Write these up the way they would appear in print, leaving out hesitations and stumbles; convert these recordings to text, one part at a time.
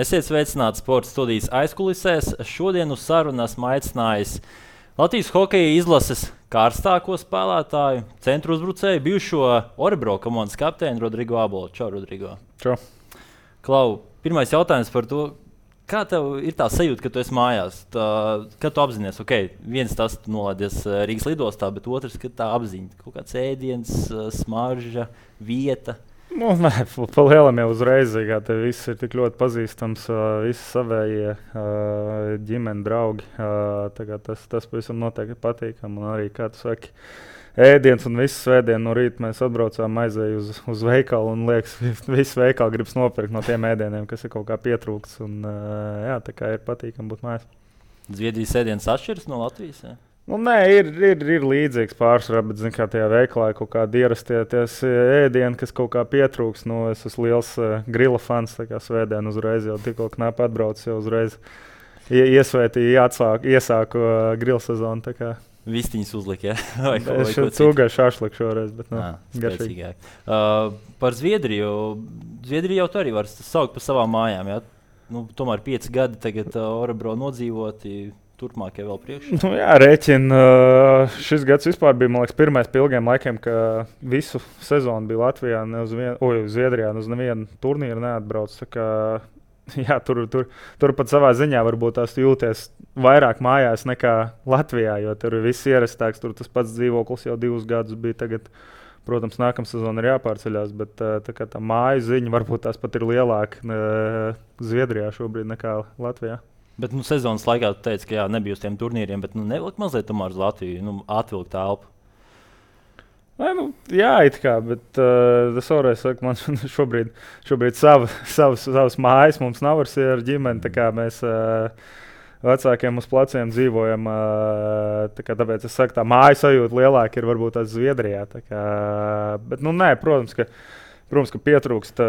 Esiet sveicināti sporta studijas aizkulisēs. Šodien uz sarunu esmu aicinājis Latvijas hokeja izlases karstāko spēlētāju, centru uzbrucēju, bijušo Orebro komandas kapteini Rodrigo Abolu. Čau, Rodrigo. Čau. Klau, pirmais jautājums par to, kā tev ir tā sajūta, ka tu esi mājās? Kad tu apzinājies, viens tas nolaidies Rīgas lidostā, bet otrs, ka tā apziņa, kaut kāds ēdiens, smarža, vieta. Nē, pa lielam jau uzreiz, kā te viss ir tik ļoti pazīstams, visi savējie ģimeni, draugi. Tas pavisam noteikti patīkam. Un arī, kā tu saki, ēdiens un visu svētdienu no rīta mēs atbraucām, aizēju uz veikalu un liekas, visu veikalu gribas nopirkt no tiem ēdieniem, kas ir kaut kā pietrūkts. Un, jā, tā kā ir patīkam būt mājās. Zviedrijas ēdiens atšķiras no Latvijas? Ja? Nu, nē, ir līdzīgs pārsvarā, bet zin, kā tajā veikalā ir kaut kādi ierastie ēdieni, kas kaut kā pietrūks. Nu, es esmu liels grila fans, tā kā svētdien uzreiz jau tikko knapi atbraucis, jau uzreiz iesvētīju, iesāku grila sezonu. Vistiņas uzlika, ja? Es cūgai šašliku šoreiz, bet garšīgāk. Par Zviedriju. Zviedriju jau tu arī var saukt par savām mājām, ja? Nu, tomēr 5 gadi tagad Orebro nodzīvoti. Turpmākie vēl priekšā? Nu, jā, rēķina. Šis gads vispār bija, man liekas, pirmais pie ilgiem laikiem, ka visu sezonu bija Latvijā, Zviedrijā, uz nevienu turnīru neatbrauc. Jā, tur pat savā ziņā varbūt tās jūties vairāk mājās nekā Latvijā, jo tur viss ierastāks, tur tas pats dzīvoklis jau 2 gadus bija tagad. Protams, nākamā sezona ir jāpārceļās, bet tā māju ziņa varbūt tās pat ir lielāka Zviedrijā šobrīd nekā Latvijā. Bet sezonas laikā tu teici, ka jā, nebija uz tiem turnīriem, bet nevilkt mazliet tomēr uz Latviju, atvilkt telpu. Jā, it kā, bet es vēlreiz saku, man šobrīd savas mājas mums nav ar ģimeni, tā kā mēs vecākiem uz pleciem dzīvojam, tāpēc es saku, tā māju sajūta lielāka ir varbūt tās Zviedrijā. Bet, nē, protams, ka pietrūkst,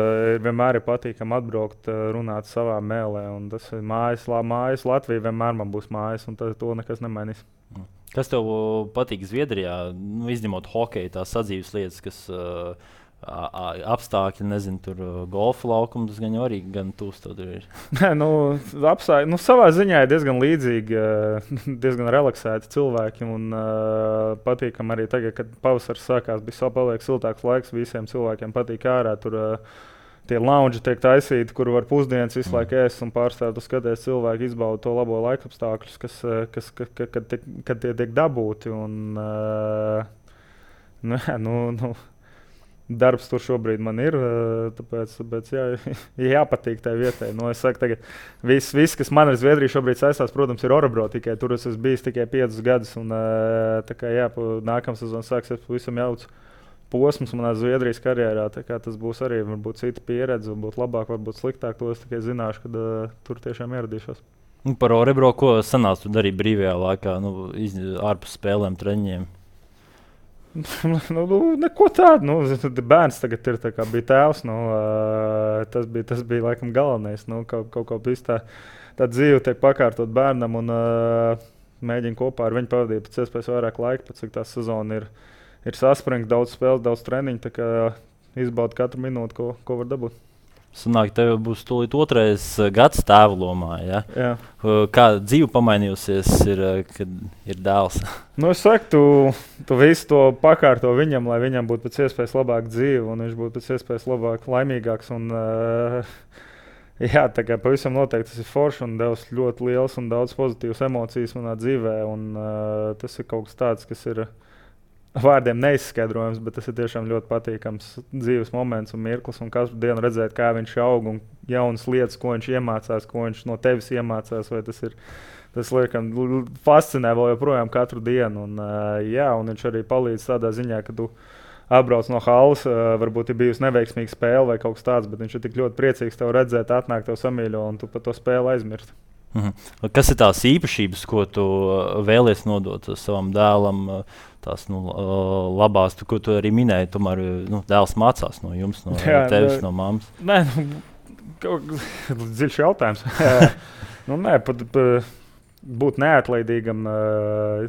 vienmēr ir patīkami atbraukt, runāt savā mēlē. Tas ir mājas Latvija, vienmēr man būs mājas, un to nekas nemainīs. Kas tev patīk Zviedrijā? Izņemot hokeju, tās sadzīves lietas, kas apstākļi, nezinu, tur golfa laukums, tas gan arī gan tūs tur ir. Savā ziņā ir diezgan līdzīgi, diezgan relaksēti cilvēki un patīkam arī tagad, kad pavasars sākās, bija paliek siltāks laiks, visiem cilvēkiem patīk ārā. Tur tie lounži tiek taisīti, kur var pusdienas visu laiku ēst un pārstāvēt, skaties cilvēki izbauda to labo laikapstākļus, kad tie tiek dabūti. Un, darbs tur šobrīd man ir, tāpēc jāpatīk tai vietai. Es saku, tagad viss, kas man ar Zviedriju šobrīd saistās, protams, ir Orebro. Tur es esmu bijis tikai 5 gadus. Un, nākamā sezona sāksies pavisam jauts posms manā Zviedrijas karjerā. Tas būs arī varbūt cita pieredze, varbūt labāk, varbūt sliktāk. To es tikai zināšu, kad tur tiešām ieradīšos. Par Orebro, ko sanāca tu darīt brīvajā laikā, ārpus spēlēm, treniņiem? Neko tādu. Bērns tagad ir bija tēvs. Tas bija laikam galvenais. Kaut kā tā dzīve tiek pakārtot bērnam un mēģina kopā ar viņu pavadīt pēc iespējas vairāk laika, pēc cik tā sezona ir saspringta, daudz spēles, daudz treniņu. Izbauda katru minūti, ko var dabūt. Sanāk, tev būs tūlīt 2. gads tēva lomā. Ja? Jā. Kā dzīve pamainījusies, kad ir dēls? Es saku, tu visu to pakārto viņam, lai viņam būtu pēc iespējas labāka dzīve un viņš būtu pēc iespējas laimīgāks. Un, jā, pavisam noteikti tas ir forši un devis ļoti liels un daudz pozitīvas emocijas manā dzīvē. Un, tas ir kaut kas tāds, kas ir vārdiem neizskaidrojams, bet tas ir tiešām ļoti patīkams dzīves moments un mirklis. Un katru dienu redzēt, kā viņš aug un jaunas lietas, ko viņš iemācās, ko viņš no tevis iemācās. Tas liekam, fascinē vēl joprojām katru dienu. Un, un viņš arī palīdz tādā ziņā, ka tu atbrauc no halas, varbūt ir bijusi neveiksmīga spēle vai kaut kas tāds, bet viņš ir tik ļoti priecīgs tev redzēt, atnāk tev samīļo un tu par to spēli aizmirsti. Kas ir tās īpašības, ko tu vēlies nodot savam dēlam? Tās labās, ko tu arī minēji, tomēr dēls mācās no jums, no tevis, no mammas. Nē, dziļš jautājums. Būt neatlaidīgam,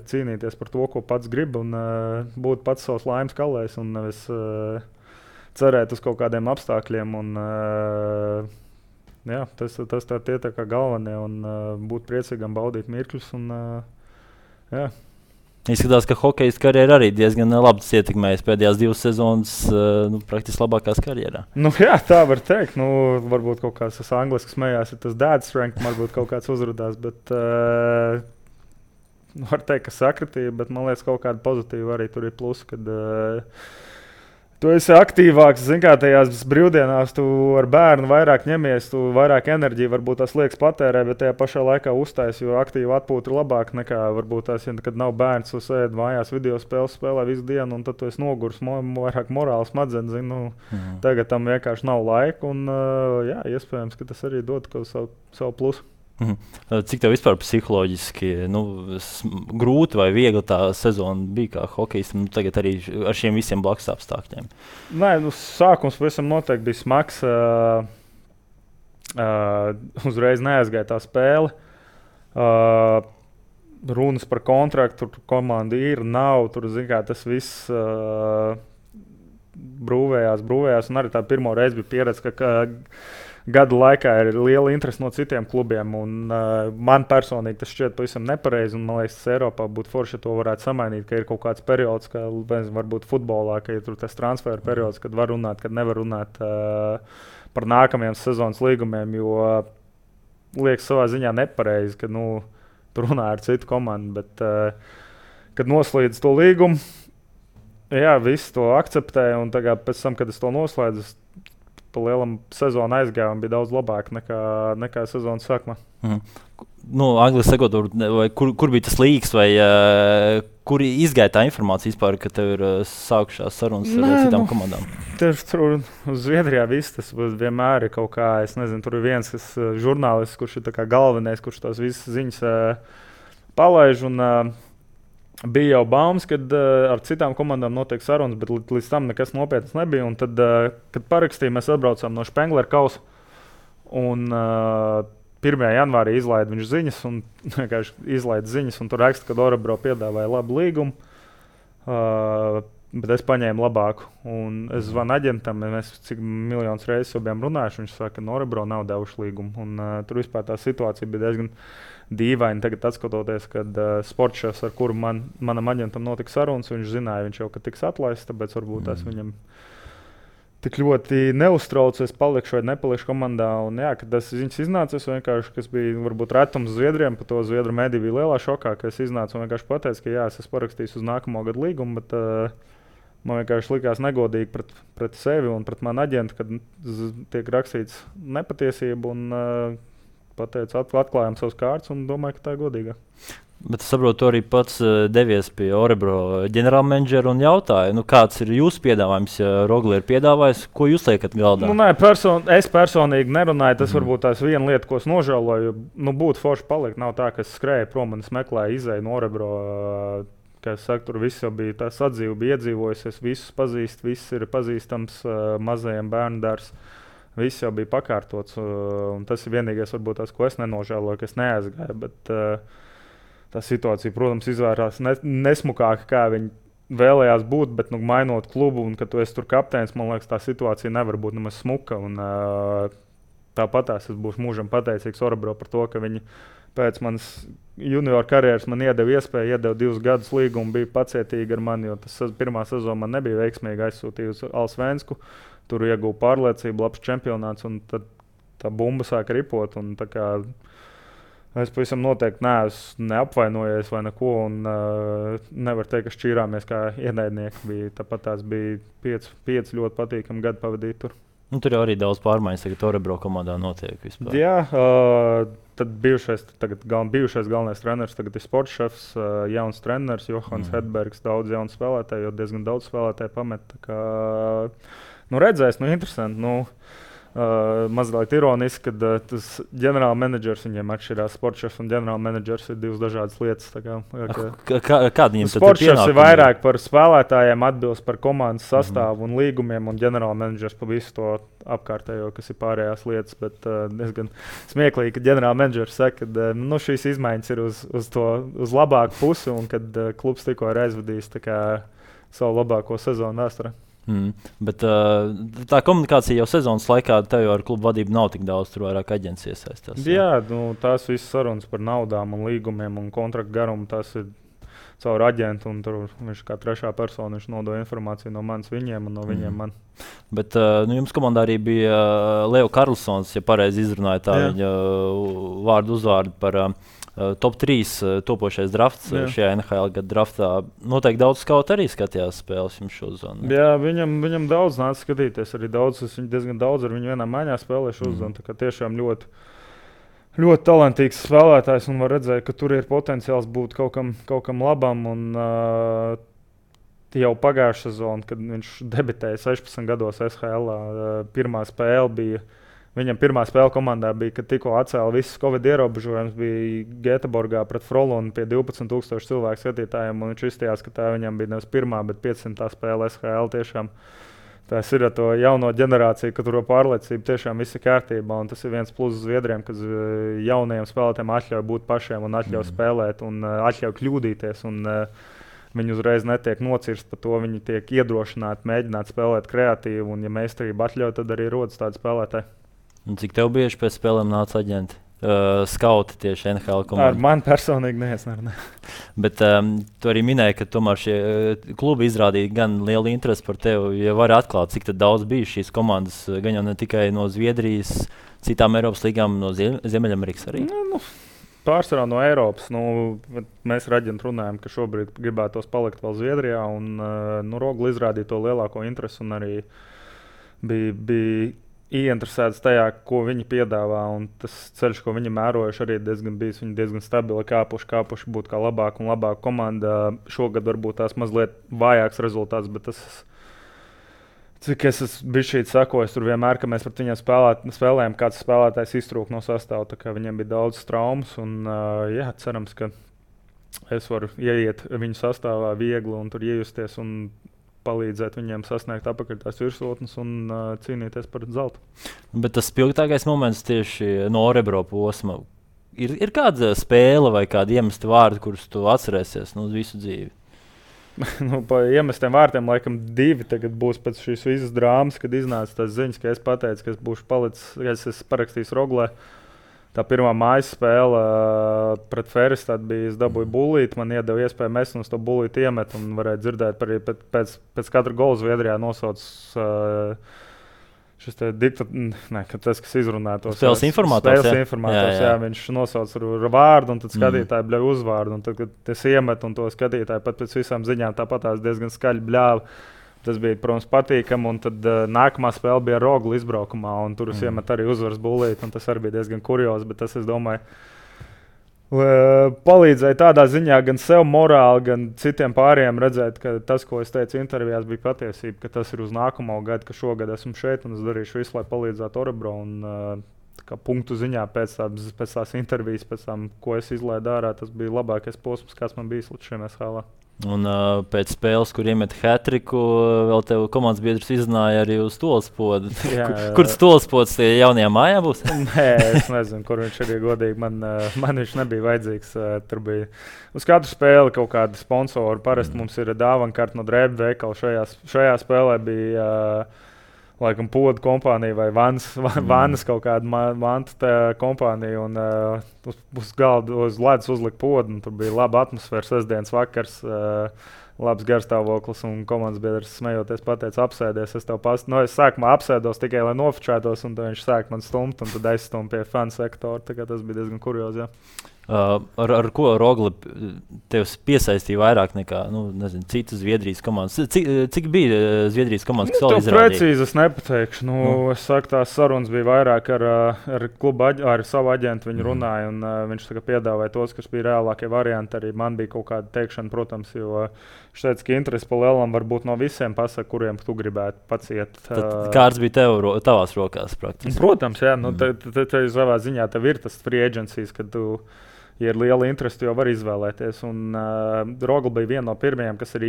cīnīties par to, ko pats grib un būt pats savs laimes kalējs un nevis cerēt uz kaut kādiem apstākļiem un jā, tas tie tā kā galvenie un būt priecīgam, baudīt mirkļus. Un, jā. Izskatās, ka hokejas karjera arī diezgan labi ietekmējas pēdējās 2 sezonas, praktiski labākās karjerā. Jā, tā var teikt. Varbūt kaut kāds angliski smējās, ja tas dad strength, varbūt kaut kāds uzrādās, bet var teikt, ka sakritība, bet man liekas, kaut kāda pozitīva arī tur ir plus, kad tu esi aktīvāks, zin kā, tajās brīvdienās tu ar bērnu vairāk ņemies, tu vairāk enerģiju varbūt tās liekas patērē, bet tajā pašā laikā uztais, jo aktīvi atpūta ir labāk nekā varbūt tās, ja, kad nav bērns, tu sēdi mājās video spēles spēlē visu dienu, un tad tu esi nogurs, vairāk morāls smadzenes, tagad tam vienkārši nav laika, un jā, iespējams, ka tas arī dod kaut savu plusu. Cik tev vispār psiholoģiski grūti vai viegli tā sezona bija kā hokejistam, tagad arī ar šiem visiem blakus apstākļiem? Nē, sākums pavisam noteikti bija smags. Uzreiz neaizgāja tā spēle. Runas par kontraktu, tur komanda ir, nav. Tur, kā, tas viss brūvējās. Un arī tā pirmo reizi bija pieredze, ka gada laikā ir liela interese no citiem klubiem. Man personīgi tas šķiet pavisam nepareizi. Man liekas, ka Eiropā būtu forši, ja to varētu samainīt, ka ir kaut kāds periods, kā varbūt futbolā, ka ir tur tas transferu periods, kad var runāt, kad nevar runāt par nākamajiem sezonas līgumiem. Jo liekas savā ziņā nepareizi, ka tur runā ar citu komandu. Bet, kad noslēdz to līgumu, jā, visi to akceptēja. Un pēc tam, kad es to noslēdzu, pa lielam sezonu aizgāja un bija daudz labāk nekā sezonas sākumā. Angliski sakot, kur bija tas līgs vai kur izgāja tā informācija vispār, ka tev ir sākušās sarunas ar citām komandām? Tur uz Zviedrijā viss tas vienmēr ir kaut kā, es nezinu, tur ir viens žurnālists, kurš ir tā kā galvenais, kurš tās visas ziņas palaiž un bija jau baumas, kad ar citām komandām notiek sarunas, bet līdz tam nekas nopietnas nebija. Un tad, kad parakstījām, mēs atbraucām no Spengler kausa. Un 1. janvārī izlaida viņš ziņas, un izlaida ziņas, un tur raksta, ka Orebro piedāvāja labu līgumu. Bet es paņēmu labāku. Un es zvanu aģentam, mēs cik miljonus reizes jau bijām runājuši. Viņš saka, ka Orebro nav devuši līgumu. Un tur vispār tā situācija bija diezgan dīvaini. Tagad, skatoties, kad sportšefs, ar kuru manam aģentam notika sarunas, viņš zināja, viņš jau tiks atlaists, tāpēc varbūt tas viņam tik ļoti neuztrauc, es palikšu vai nepalikšu komandā. Un, jā, kad tas ziņas iznāca, vienkārši, kas bija varbūt retums Zviedriem, par to Zviedru mediju bija lielā šokā, ka es iznācu un vienkārši pateicu, ka jā, es esmu parakstījis uz nākamo gadu līgumu, bet man vienkārši likās negodīgi pret sevi un pret manu aģentu, kad tiek rakstīts nepatiesība un pateicu, atklājām savus kārtas un domāju, ka tā ir godīga. Bet es saprotu, tu arī pats devies pie Orebro ģenerālmenedžera un jautāja, kāds ir jūsu piedāvājums, ja Rogli ir piedāvājis, ko jūs liekat galdā? Es personīgi nerunāju, tas varbūt tās viena lieta, ko es nožēloju, būtu forši palikt. Nav tā, ka es skrēju prom un es meklēju izēju no Orebro. Kā es saku, tur viss jau bija tā sadzīve, bija iedzīvojusies, visus pazīst, viss ir pazīstams, mazajiem bērnu dārs. Viss jau bija pakārtots, un tas ir vienīgais, varbūt tas, ko es nenožēloju, ka es neaizgāju. Bet tā situācija, protams, izvērās nesmukāk, kā viņi vēlējās būt, bet mainot klubu, un kad tu esi tur kapteinis, man liekas, tā situācija nevar būt nemaz smuka. Un, tāpatās es būšu mūžam pateicīgs Orebro par to, ka viņi pēc manas junior karjeras man iedeva iespēju, iedeva 2 gadus līgumu, bija pacietīgi ar mani, jo tas pirmā sezona man nebija veiksmīgi, aizsūtīja uz Alsvensku. Tur ieguva pārliecību, labs čempionāts, un tad tā bumba sāka ripot. Es pavisam noteikti neesmu neapvainojies vai neko, un nevaru teikt, ka šķīrāmies kā ienaidnieki. Tāpat tās bija 5 ļoti patīkami gadi pavadīt tur. Tur jau arī daudz pārmaiņas, tagad Orebro komandā notiek vispār. Jā, tad bijušais galvenais treneris, tagad ir sportšefs, jauns treneris, Johans Hedbergs, daudz jaunu spēlētāju, jo diezgan daudz spēlētāju pamet. Redzēs, interesanti. Mazliet ironiski, kad tas ģenerālmenedžers viņiem atšķirās. Sportšefs un ģenerālmenedžers ir 2 dažādas lietas. Kāda viņam tad sportšefs ir vairāk par spēlētājiem, atbilst par komandas sastāvu un līgumiem, un ģenerālmenedžers par visu to apkārtējo, kas ir pārējās lietas. Bet diezgan smieklīgi, ka ģenerālmenedžers saka, ka šīs izmaiņas ir uz labāku pusi, un kad klubs tikko ir aizvadījis savu labāko sezonu vēsturē. Bet tā komunikācija jau sezonas laikā, tev jau ar klubu vadību nav tik daudz, tur vairāk aģents iesaistās. Jā, tās visas sarunas par naudām un līgumiem un kontraktu garumu, tas ir caur aģentu, un tur viņš kā trešā persona nodod informāciju no manis viņiem un no viņiem man. Bet jums komandā arī bija Leo Karlsons, ja pareizi izrunāja tā viņa vārdu uzvārdu par top 3 topošais drafts šajā NHL gada draftā. Noteikti daudz skautu arī skatījās spēles jums šo zonu. Jā, viņam daudz nāca skatīties, arī diezgan daudz ar viņu vienā maiņā spēlēju šo zonu, tā kā tiešām ļoti talantīgs spēlētājs, un var redzēt, ka tur ir potenciāls būt kaut kam labam. Un, jau pagājušā sezonā, kad viņš debitēja 16 gados SHL, pirmā spēle komandā bija, kad tikko atcēla visas Covid ierobežojumus, bija Gēteborgā pret Frolunu pie 12,000 cilvēku skatītājiem, un viņš izstījās, ka tā viņam bija nevis pirmā, bet 500. spēle SHL tiešām. Tas ir ar to jauno ģenerāciju, ka tur pārliecība tiešām viss ir kārtībā. Tas ir viens pluss Zviedriem, kas jaunajiem spēlētājiem atļauj būt pašiem un atļauj spēlēt un atļauj kļūdīties. Viņi uzreiz netiek nocirsti par to, viņi tiek iedrošināti mēģināt spēlēt kreatīvi. Un, ja meistarība atļauj, tad arī rodas tādi spēlētāji. Un cik tev bieži pēc spēlēm nāca aģenti? Skauti tieši NHL komandā. Ar mani personīgi neesmu. Bet tu arī minēji, ka tomēr šie klubi izrādīja gan lielu interesi par tevi. Ja vari atklāt, cik daudz bija šīs komandas, gan jau ne tikai no Zviedrijas, citām Eiropas līgām, no Ziemeļamerikas arī? Pārsvarā no Eiropas. Mēs ar aģentu runājam, ka šobrīd gribētos palikt vēl Zviedrijā. Rogla izrādīja to lielāko interesi un arī bija ieinteresēts tajā, ko viņi piedāvā. Tas ceļš, ko viņi mērojuši, arī diezgan stabili kāpuši būt kā labāka un labāka komanda. Šogad varbūt tās mazliet vājāks rezultāts, bet tas, cik es biju šeit sakojis, tur vienmēr, ka mēs pret viņiem spēlējām, kāds spēlētājs iztrūk no sastāva, tā kā viņiem bija daudz traumas. Cerams, ka es varu ieiet viņu sastāvā viegli un tur iejusties un palīdzēt viņiem sasniegt apakaļ tās virsotnes un cīnīties par zeltu. Bet tas spilgtākais moments tieši no Orebro posma. Ir kāda spēle vai kāda iemesta vārdi, kurus tu atcerēsies visu dzīvi? Pa iemestiem vārtiem laikam 2 tagad būs pēc šīs visas drāmas, kad iznāca tās ziņas, ka es pateicu, ka es būšu palicis, ka es parakstīju Roglē. Tā pirmā mājas spēle pret Ferestadu bija, es dabūju bullīti, man iedeva iespēju mest un uz to bullīti iemet un varēja dzirdēt arī pēc katra gola Zviedrijā nosauc šis te tas, kas izrunā tos spēles informātors, jā, viņš nosauc ar vārdu un tad skatītāji bļauj uzvārdu un tad, kad es iemetu un to skatītāji pat pēc visām ziņām tāpatās diezgan skaļi bļāva. Tas bija, protams, patīkami, un tad nākamā spēle bija Rogla izbraukumā, un tur es iemetu arī uzvaras bullīti, un tas arī bija diezgan kurjos, bet tas, es domāju, palīdzēja tādā ziņā gan sev morāli, gan citiem pārējiem redzēt, ka tas, ko es teicu intervijās, bija patiesība, ka tas ir uz nākamo gadu, ka šogad esmu šeit, un es darīšu visu, lai palīdzētu Orebro, un punktu ziņā pēc tās intervijas, pēc tam, ko es izlaidu ārā, tas bija labākais posms, kāds man bijis līdz šim SHL. Un pēc spēles, kur iemet hat-triku, vēl tev komandas biedrs iznāja arī uz stolspodu. Kur stolspods tie jaunajā mājā būs? Nē, es nezinu, kur viņš arī godīgi. Man viņš nebija vajadzīgs. Tur bija uz katru spēli kaut kāda sponsora. Parasti mums ir dāvankarte no Drēbu veikala. Šajā spēlē bija laikam podu kompānija vai vannas kaut kāda vanta kompānija. Un uz galda uz ledus uzlika podu. Tur bija laba atmosfēra, sestdienas vakars, labs garstāvoklis. Un komandas biedrs smejoties pateica, apsēdies. Es sākumā apsēdos tikai, lai nofočētos, un viņš sāk man stumt, un tad aizstumt pie fanu sektora. Tas bija diezgan kuriozi. Ar ko Rogla tev piesaistīja vairāk nekā citas Zviedrijas komandas? Cik bija Zviedrijas komandas, kas vēl izrādīja? Precīzi es nepateikšu. Es saku, tās sarunas bija vairāk ar klubu, ar savu aģentu. Viņi runāja, un viņš piedāvāja tos, kas bija reālākie varianti. Arī man bija kaut kāda teikšana, protams, jo viņš teica, ka interesi pa lielam var būt no visiem pasaka, kuriem tu gribētu paciet. Kāds bija tavās rokās praktiski? Protams, jā. Te savā ziņā tev ir tas free agencies, kad tu, ja ir liela interese, jau var izvēlēties. Rogla bija viena no pirmajiem, kas arī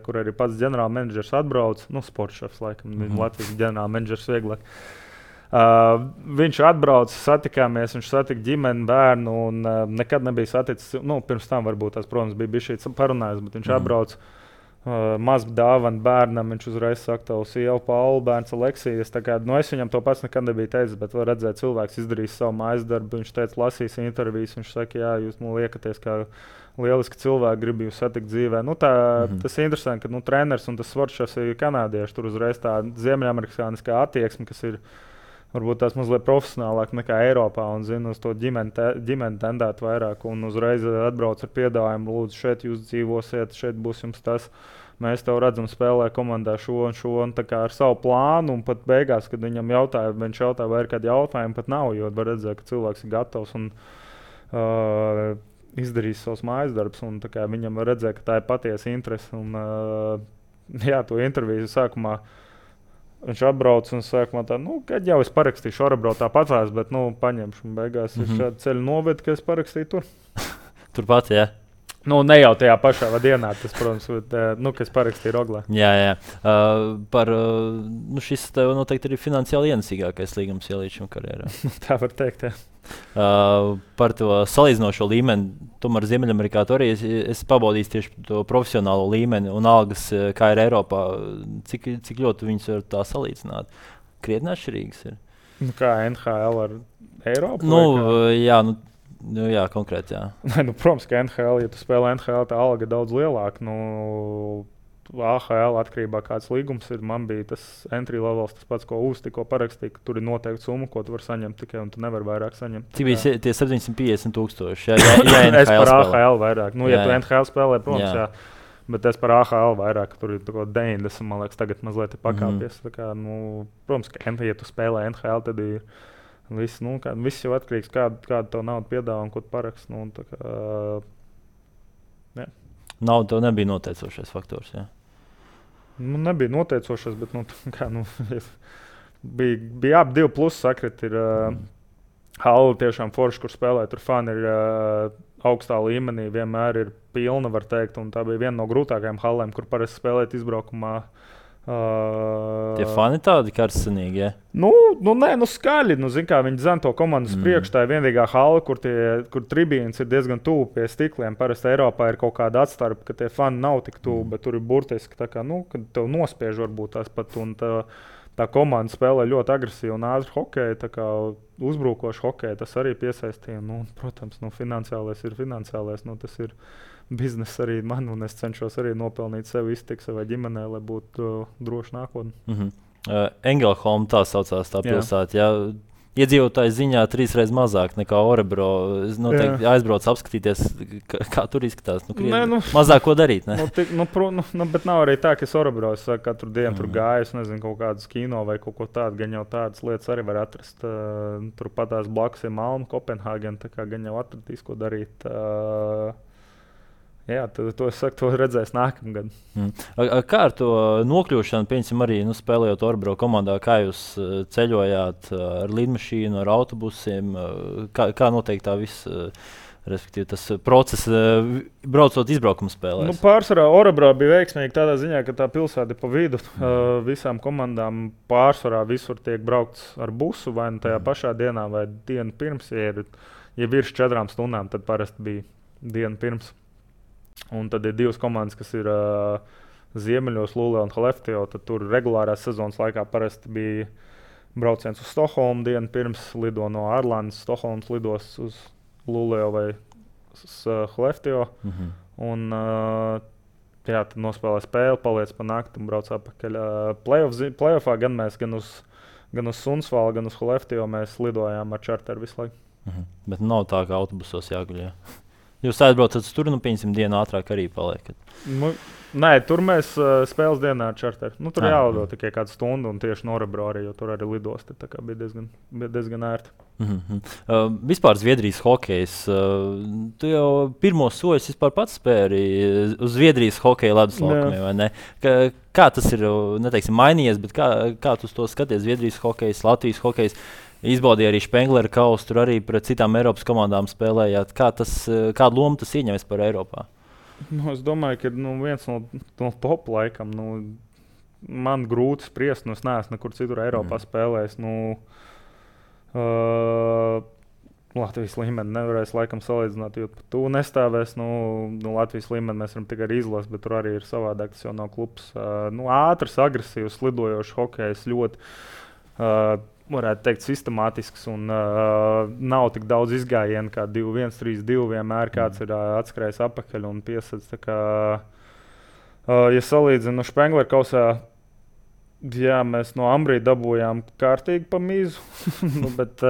kur arī pats ģenerālmenedžers atbrauc. Sportšefs, laikam, Latvijas ģenerālmenedžers vieglāk. Viņš atbrauca, satikāmies, viņš satika ģimeni, bērnu un nekad nebija saticis. Pirms tam varbūt tās, protams, bija šī parunājas, bet viņš atbrauc. Mazu dāvanu bērnam, viņš uzreiz saka, tev sieva Paula, bērns Aleksijas. Es viņam to pats nekad nebiju teicis, bet var redzēt, cilvēks izdarīs savu mājas darbu. Viņš teica, lasīs intervijas, viņš saka, jā, jūs liekaties kā lieliski cilvēki, gribu jūs satikt dzīvē. Tas ir interesanti, ka treneris un tas svaršs ir kanādieši. Tur uzreiz tā ziemeļamerikāniskā attieksme, kas ir varbūt tās mazliet profesionālāk nekā Eiropā un zina uz to ģimeni tendēt vairāk un uzreiz atbrauc ar piedāvājumu, lūdzu, šeit jūs dzīvosiet, šeit būs jums tas. Mēs tev redzam spēlē komandā šo un tā kā ar savu plānu un pat beigās, kad viņš jautāja, vai ir kādi jautājumi, pat nav, jo var redzēt, ka cilvēks ir gatavs un izdarīs savus mājas darbus un tā kā viņam var redzēt, ka tā ir patiesa interese un to interviju sākumā viņš atbrauc un saka, kad jau es parakstīšu Orebro tāpatās, bet paņemšu. Un beigās ir šādi ceļi noved, ka es parakstīju tur. Turpat, jā. Ne jau tajā pašā dienā, tas, protams, bet, kas parakstīja Roglā. Jā. Šis tev noteikti ir finansiāli ienesīgākais līgums līdz šim karjerā. Tā var teikt, jā. Par to salīdzinošo līmeni, tomēr Ziemeļamerikā tur arī es pabaudīju tieši to profesionālo līmeni un algas, kā ir Eiropā. Cik ļoti viņas var tā salīdzināt? Krietni atšķirīgas ir. Kā NHL ar Eiropu? Jā, konkrēti, jā. Protams, ka NHL, ja tu spēlē NHL, tā alga ir daudz lielāka. AHL atkarībā kāds līgums ir. Man bija tas entry levels, tas pats, ko Ūs tikko parakstīja, ka tur ir noteikti summa, ko tu vari saņemt tikai, un tu nevari vairāk saņemt. Cik bija tie 750,000? Jā, es par AHL vairāk. Ja tu NHL spēlē, protams, jā. Bet es par AHL vairāk, tur ir 90, man liekas, tagad mazliet ir pakāpies. Kā, protams, ka ja tu spēlē NHL, tad ir viss jau atkarīgs, kāda tev nauda piedāvā un ko tu paraksti. Nauda tev nebija noteicošais faktors, jā? Nebija noteicošais, bet bija ap 2 plusi sakriti. Halla tiešām forši, kur spēlē, tur fani ir augstā līmenī, vienmēr ir pilna, var teikt. Un tā bija viena no grūtākajām hallēm, kur parasti spēlēt izbraukumā. Tie fani tādi karstenīgi, ja? Skaļi. Viņi zina to komandas priekš. Tā ir vienīgā hala, kur tribīns ir diezgan tuvu pie stikliem. Parasti Eiropā ir kaut kāda atstarpe, ka tie fani nav tik tuvu, bet tur ir burtiski tā kā, kad tev nospiež varbūt tās pat. Un tā komanda spēlē ļoti agresīvi un ātri hokeju, tā kā uzbrukoši hokeju. Tas arī piesaistīja. Protams, finansiālais ir finansiālais. Tas ir biznesa arī man, un es cenšos arī nopelnīt sev iztiku savai ģimenei, lai būtu droši nākotnē. Engelholm tā saucās tā pilsēta. Jā. Iedzīvotāju ziņā 3 reizes mazāk nekā Orebro. Es noteikti aizbraucu apskatīties, kā tur izskatās. Mazāk ko darīt. Bet nav arī tā, ka es Orebro katru dienu tur gāju, es nezinu, kaut kādas kino vai kaut ko tādu. Gan jau tādas lietas arī var atrast. Turpat tās blakus ir Malma, Kopenhāgena, tā kā gan jau atradīs, ko darīt. Jā, to es saku, to redzēs nākamgad. Kā ar to nokļūšanu, piemēram, arī spēlējot Orebro komandā, kā jūs ceļojāt ar lidmašīnu, ar autobusiem? Kā noteikti tā viss, respektīvi tas process, braucot izbraukuma spēlēs? Pārsvarā Orebro bija veiksmīgi tādā ziņā, ka tā pilsēta ir pa vidu. Visām komandām pārsvarā visur tiek braukts ar busu, vai tajā pašā dienā, vai dienu pirms. Ja virs 4 stundām, tad parasti bija dienu pirms. Un tad ir 2 komandas, kas ir ziemeļos, Lulē un Haleftio. Tad tur regulārās sezonas laikā parasti bija brauciens uz Stokholmu dienu pirms, lido no Arlandas, Stokholmas lidos uz Lulē vai uz Haleftio. Un tad nospēlē spēli, paliec pa nakti un brauc atpakaļ. Playoffā gan mēs gan uz Sunsvalu, gan uz Haleftio mēs lidojām ar čarteru visu laiku. Bet nav tā, ka autobusos jāguļ. Jūs aizbraucat tur, pieņemsim, dienu ātrāk arī paliekat. Nē, tur mēs spēles dienā ar čarteru. Tur jālido tikai kādu stundu, un tieši no Orebro arī, jo tur arī lidosti. Tā kā bija diezgan ērti. Vispār Zviedrijas hokejs. Tu jau pirmos soļus pats spēri uz Zviedrijas hokeja ledus laukumiem, vai ne? Kā tas ir, neteiksim, mainījies, bet kā tu to skaties? Zviedrijas hokejs, Latvijas hokejs. Izbaudīja arī Spengleru kausu, tur arī pret citām Eiropas komandām spēlējāt. Kādu lomu tas ieņem vispār Eiropā? Es domāju, ka viens no top laikam. Man grūti spriest, es neesmu nekur citur Eiropā spēlējis. Latvijas līmeni nevarēs laikam salīdzināt, jo pat tu nestāvēs. Latvijas līmeni mēs varam tikai izlasīt, bet tur arī ir savādāk. Tas jau nav klubs. Ātrs, agresīvs, lidojošs hokejs, ļoti, varētu teikt, sistemātisks. Un nav tik daudz izgājienu kā 2-1, 3-2. Vienmēr kāds ir atskrējis apakaļ un piesaistīts. Ja salīdzinu Spengler kausā, jā, mēs no Ambrī dabūjām kārtīgi pa mīzu. Bet,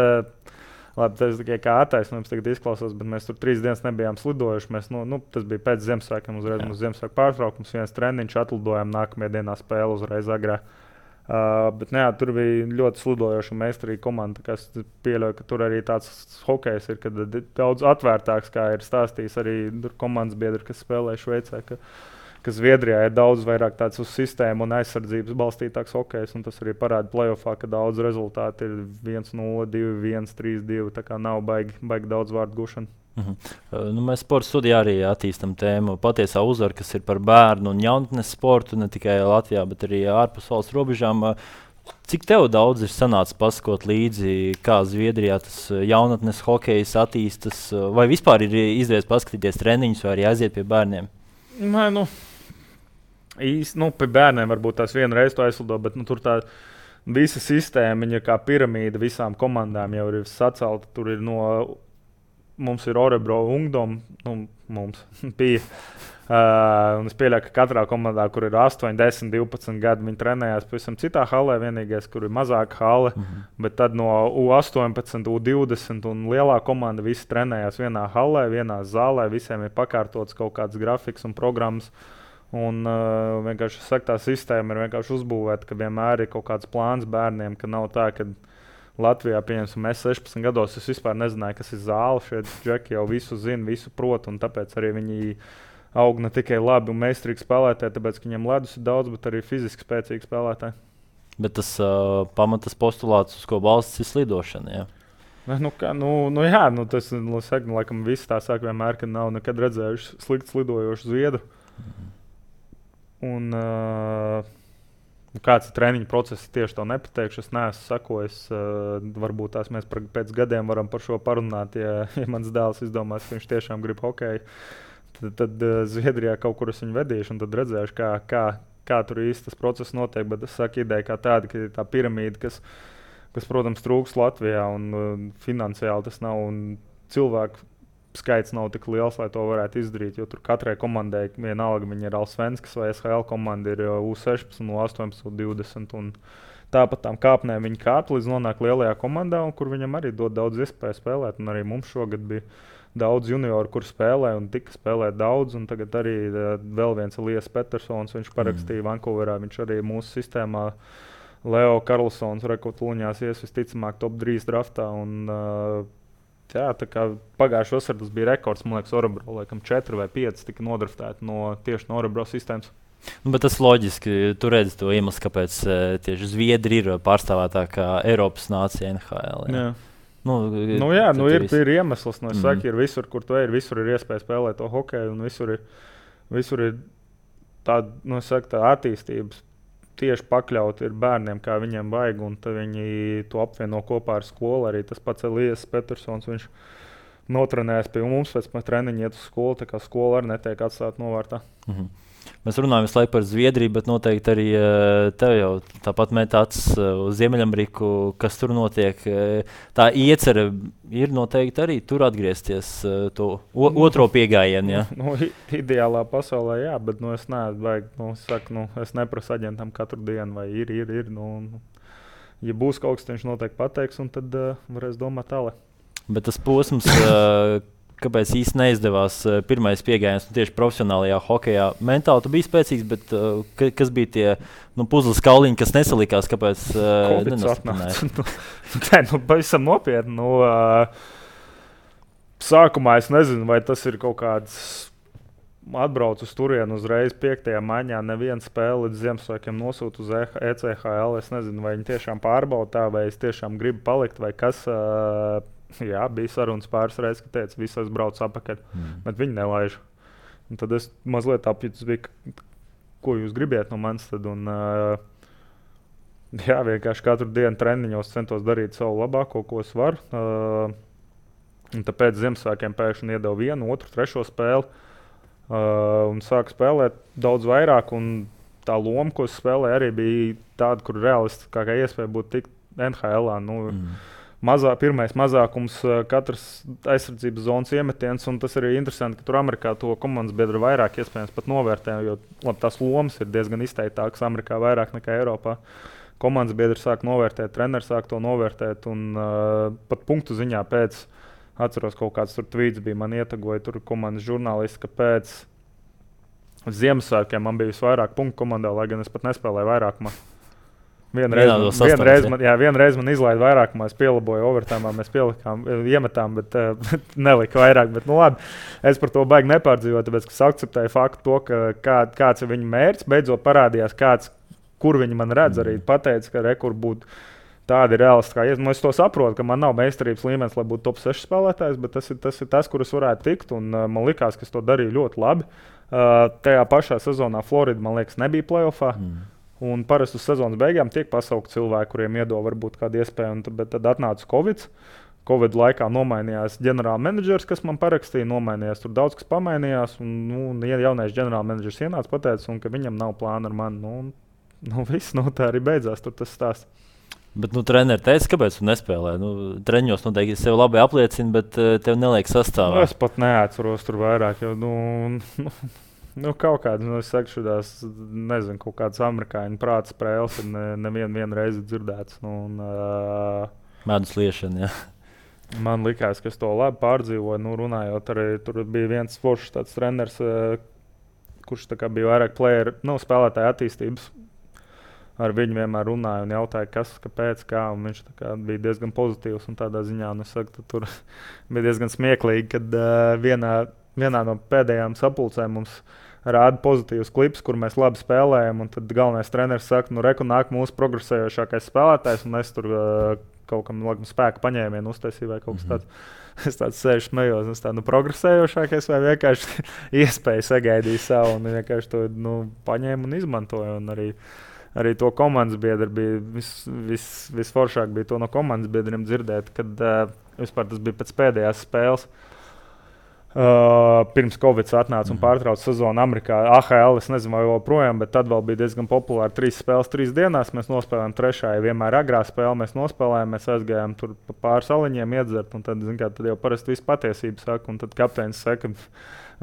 labi, tas tikai kā attaisnojums tagad izklausās, bet mēs tur 3 dienas nebijām slidojuši. Mēs, tas bija pēc Ziemassvētkiem, uzreiz mums Ziemassvētku pārtraukums, viens treniņš, atlidojām nākamajā dienā spēle uzreiz agrā. Bet tur bija ļoti slidojoša un meistarīga komanda. Es pieļauju, ka tur arī tāds hokejs ir, kad daudz atvērtāks, kā ir stāstījis arī komandas biedri, kas spēlē Šveicē. Ka Zviedrijā ir daudz vairāk tāds uz sistēmu un aizsardzības balstītāks hokejs, un tas arī parāda playoffā, ka daudz rezultāti ir 1-0, 2-1, 3-2. Tā kā nav baigi daudz vārdu gušana. Mēs sporta studijā arī attīstām tēmu patiesā uzvara, kas ir par bērnu un jaunatnes sportu, ne tikai Latvijā, bet arī ārpus valsts robežām. Cik tev daudz ir sanācis pasakot līdzi, kā Zviedrijā tas jaunatnes hokejs attīstas, vai vispār ir izdevies paskatīties treniņus vai arī aiziet pie bērniem? Īsti, pie bērniem varbūt tās vienreiz to aizlido, bet tur tā visa sistēma, viņa kā piramīda visām komandām jau ir sacelta. Tur ir mums ir Orebro Ungdom, mums bija. Un es pieļauju, ka katrā komandā, kur ir 8, 10, 12 gadi, viņi trenējās pavisam citā halē, vienīgais, kur ir mazāka hale, bet tad no U18, U20 un lielā komanda visi trenējās vienā halē, vienā zālē, visiem ir pakārtots kaut kāds grafiks un programmas. Un vienkārši tā sistēma ir vienkārši uzbūvēta, ka vienmēr ir kaut kāds plāns bērniem, ka nav tā, ka Latvijā, pieņemsim, mēs 16 gados, es vispār nezināju, kas ir zāle. Šeit džeki jau visu zina, visu prot, un tāpēc arī viņi aug ne tikai labi un meistarīgi spēlētāji, tāpēc, ka viņiem ledus ir daudz, bet arī fiziski spēcīgi spēlētāji. Bet tas pamatas postulāts, uz ko balsts ir slidošana, jā? Tas, laikam, visi tā saka vienmēr, ka nav nekad redzējuši slikti slidojošu zviedru. Un kāds ir treniņu process, tieši to nepateikšu. Es neesmu sakojis. Varbūt tās mēs pēc gadiem varam par šo parunāt. Ja mans dēls izdomās, ka viņš tiešām grib hokeju, tad Zviedrijā kaut kur es viņu vedīšu un tad redzēšu, kā tur īsti tas process notiek. Bet es saku, ideja kā tāda, ka ir tā piramīda, kas protams, trūks Latvijā un finansiāli tas nav un cilvēku skaits nav tik liels, lai to varētu izdarīt. Jo tur katrai komandai, vienalga viņa ir Allsvenskas vai SHL komanda, ir U16, U18, U20. Un tāpat tām kāpnēm viņi kāp līdz nonāk lielajā komandā, un kur viņam arī dod daudz iespēju spēlēt. Un arī mums šogad bija daudz junioru, kur spēlē un tika spēlēt daudz. Un tagad arī vēl viens Elias Petersons, viņš parakstīja Vancouverā, viņš arī mūsu sistēmā. Leo Karlsons rekorduļņās ies visticamāk top 3 draftā. Tā kā pagājušā vasarā tas bija rekords, man liekas, Orebro, laikam 4 vai 5 tika nodraftēti tieši no Orebro sistēmas. Bet tas loģiski, tu redzi to iemeslu, kāpēc tieši Zviedri ir pārstāvētākā Eiropas nācija NHL. Jā. Ir iemesls. Es saku, ir visur, kur tu ej, visur ir iespēja spēlēt to hokeju, un visur ir tāda, tā attīstības. Tieši pakļauti ir bērniem, kā viņiem vajag, un viņi to apvieno kopā ar skolu. Arī tas pats Elias Petersons, viņš notrenējās pie mums, pēc treniņa iet uz skolu, tā kā skola arī netiek atstāta novārtā. Mēs runājam visu laiku par Zviedriju, bet noteikti arī tev jau tāpat met acis uz Ziemeļameriku, kas tur notiek. Tā iecerē ir noteikti arī tur atgriezties to otro piegājienu. Ja? Ideālā pasaulē, jā, bet es neesmu es neprasu aģentam katru dienu, vai ir. Ja būs kaut kas, viņš noteikti pateiks, un tad varēs domāt tālāk. Bet tas posms... Kāpēc īsti neizdevās pirmais piegājiens tieši profesionālajā hokejā? Mentāli tu biji spēcīgs, bet kas bija tie puzles kauliņi, kas nesalikās? Kāpēc nenostiprināji? Pavisam nopietni. Sākumā es nezinu, vai tas ir kaut kāds atbrauc uz turienu uzreiz 5. maijā. Neviena spēle līdz Ziemassvētkiem nosūta uz ECHL. Es nezinu, vai viņi tiešām pārbauda tā, vai es tiešām gribu palikt, vai kas. Jā, bija sarunas pāris reizes, ka teica, visi brauc atpakaļ, bet viņi nelaiž. Un tad es mazliet apjutos, ko jūs gribiet no manis. Vienkārši katru dienu treniņos centos darīt savu labāko, ko es varu. Un tāpēc Ziemassvētkiem pēkšņi iedeva 1, 2, 3 spēli. Un sāku spēlēt daudz vairāk. Tā loma, ko es spēlēju, arī bija tāda, kur realistiskākā iespēja būtu tikt NHL. Pirmais mazākums, katrs aizsardzības zonas iemetiens. Tas arī ir interesanti, ka tur Amerikā to komandas biedru vairāk iespējams pat novērtē. Jo tās lomas ir diezgan izteiktākas Amerikā vairāk nekā Eiropā. Komandas biedri sāk novērtēt, treneris sāk to novērtēt. Pat punktu ziņā pēc. Atceros, kaut kāds tur tvīts bija, man ietagoja tur komandas žurnālisti, ka pēc Ziemassvētkiem man bija visvairāk punktu komandā, lai gan es pat nespēlēju vairākumā. Vienreiz man izlaida vairākumā, es pielaboju overtājumā, mēs iemetām, bet nelika vairāk. Bet, labi, es par to baigi nepārdzīvoju, tāpēc, ka es akceptēju faktu to, ka kāds ir viņa mērķis, beidzot parādījās kur viņi man redz, arī pateica, ka rekur būtu. Tāda ir realistiskā iespēja. Es to saprotu, ka man nav meistarības līmenis, lai būtu top 6 spēlētājs, bet tas ir tas, kur es varētu tikt. Man liekas, ka es to darīju ļoti labi. Tajā pašā sezonā Florida, man liekas, nebija playoffā. Un parasti uz sezonas beigām tiek pasaukti cilvēki, kuriem iedod varbūt kādu iespēju. Bet tad atnāca Covid. Covid laikā nomainījās ģenerālmenedžers, kas man parakstīja. Nomainījās, tur daudz kas pamainījās. Jaunais ģenerālmenedžers ienāca pateicis, ka viņam nav plāna ar mani. Viss, tā arī beidzās. Tur tas stāsts. Bet treneris teica, kāpēc tu nespēlē? Treniņos noteikti sev labi apliecina, bet tev neliek sastāvā. Es pat neatceros tur vairāk. Kaut kādas, es saku, šādās, nezinu, kaut kādas amerikāņu prāta spēles ir nevienu reizi dzirdētas. Medus liešana, jā. Man likās, ka es to labi pārdzīvoju. Runājot, arī tur bija viens foršs tāds treneris, kurš bija vairāk spēlētāju attīstības. Ar viņu vienmēr runāju un jautāju, kas, kāpēc, kā. Viņš bija diezgan pozitīvs. Tādā ziņā es saku, tur bija diezgan smieklīgi, kad vienā no pēdējām sapulcēm mums rāda pozitīvs klips, kur mēs labi spēlējam. Tad galvenais treneris saka, reku nāk mūsu progresējošākais spēlētājs. Un es tur kaut kam spēku paņēmienu uztaisīju vai kaut kas tāds. Es tāds sēžu smējos, es tādu progresējošākais vai vienkārši iespēju sagaidīju savu. Un vienkārši to paņēmu un izmantoju. Un arī to komandas biedru bija visforšāk bija to no komandas biedriem dzirdēt, kad vispār tas bija pēc pēdējās spēles. Pirms Covid atnāca un pārtrauca sezonu Amerikā. AHL, es nezinu, vai joprojām, bet tad vēl bija diezgan populāri 3 spēles 3 dienās. Mēs nospēlējām trešā, vienmēr agrā spēle mēs nospēlējām, mēs aizgājām tur pāris aliņiem iedzert, un tad jau parasti viss patiesība saka, un tad kapteinis saka,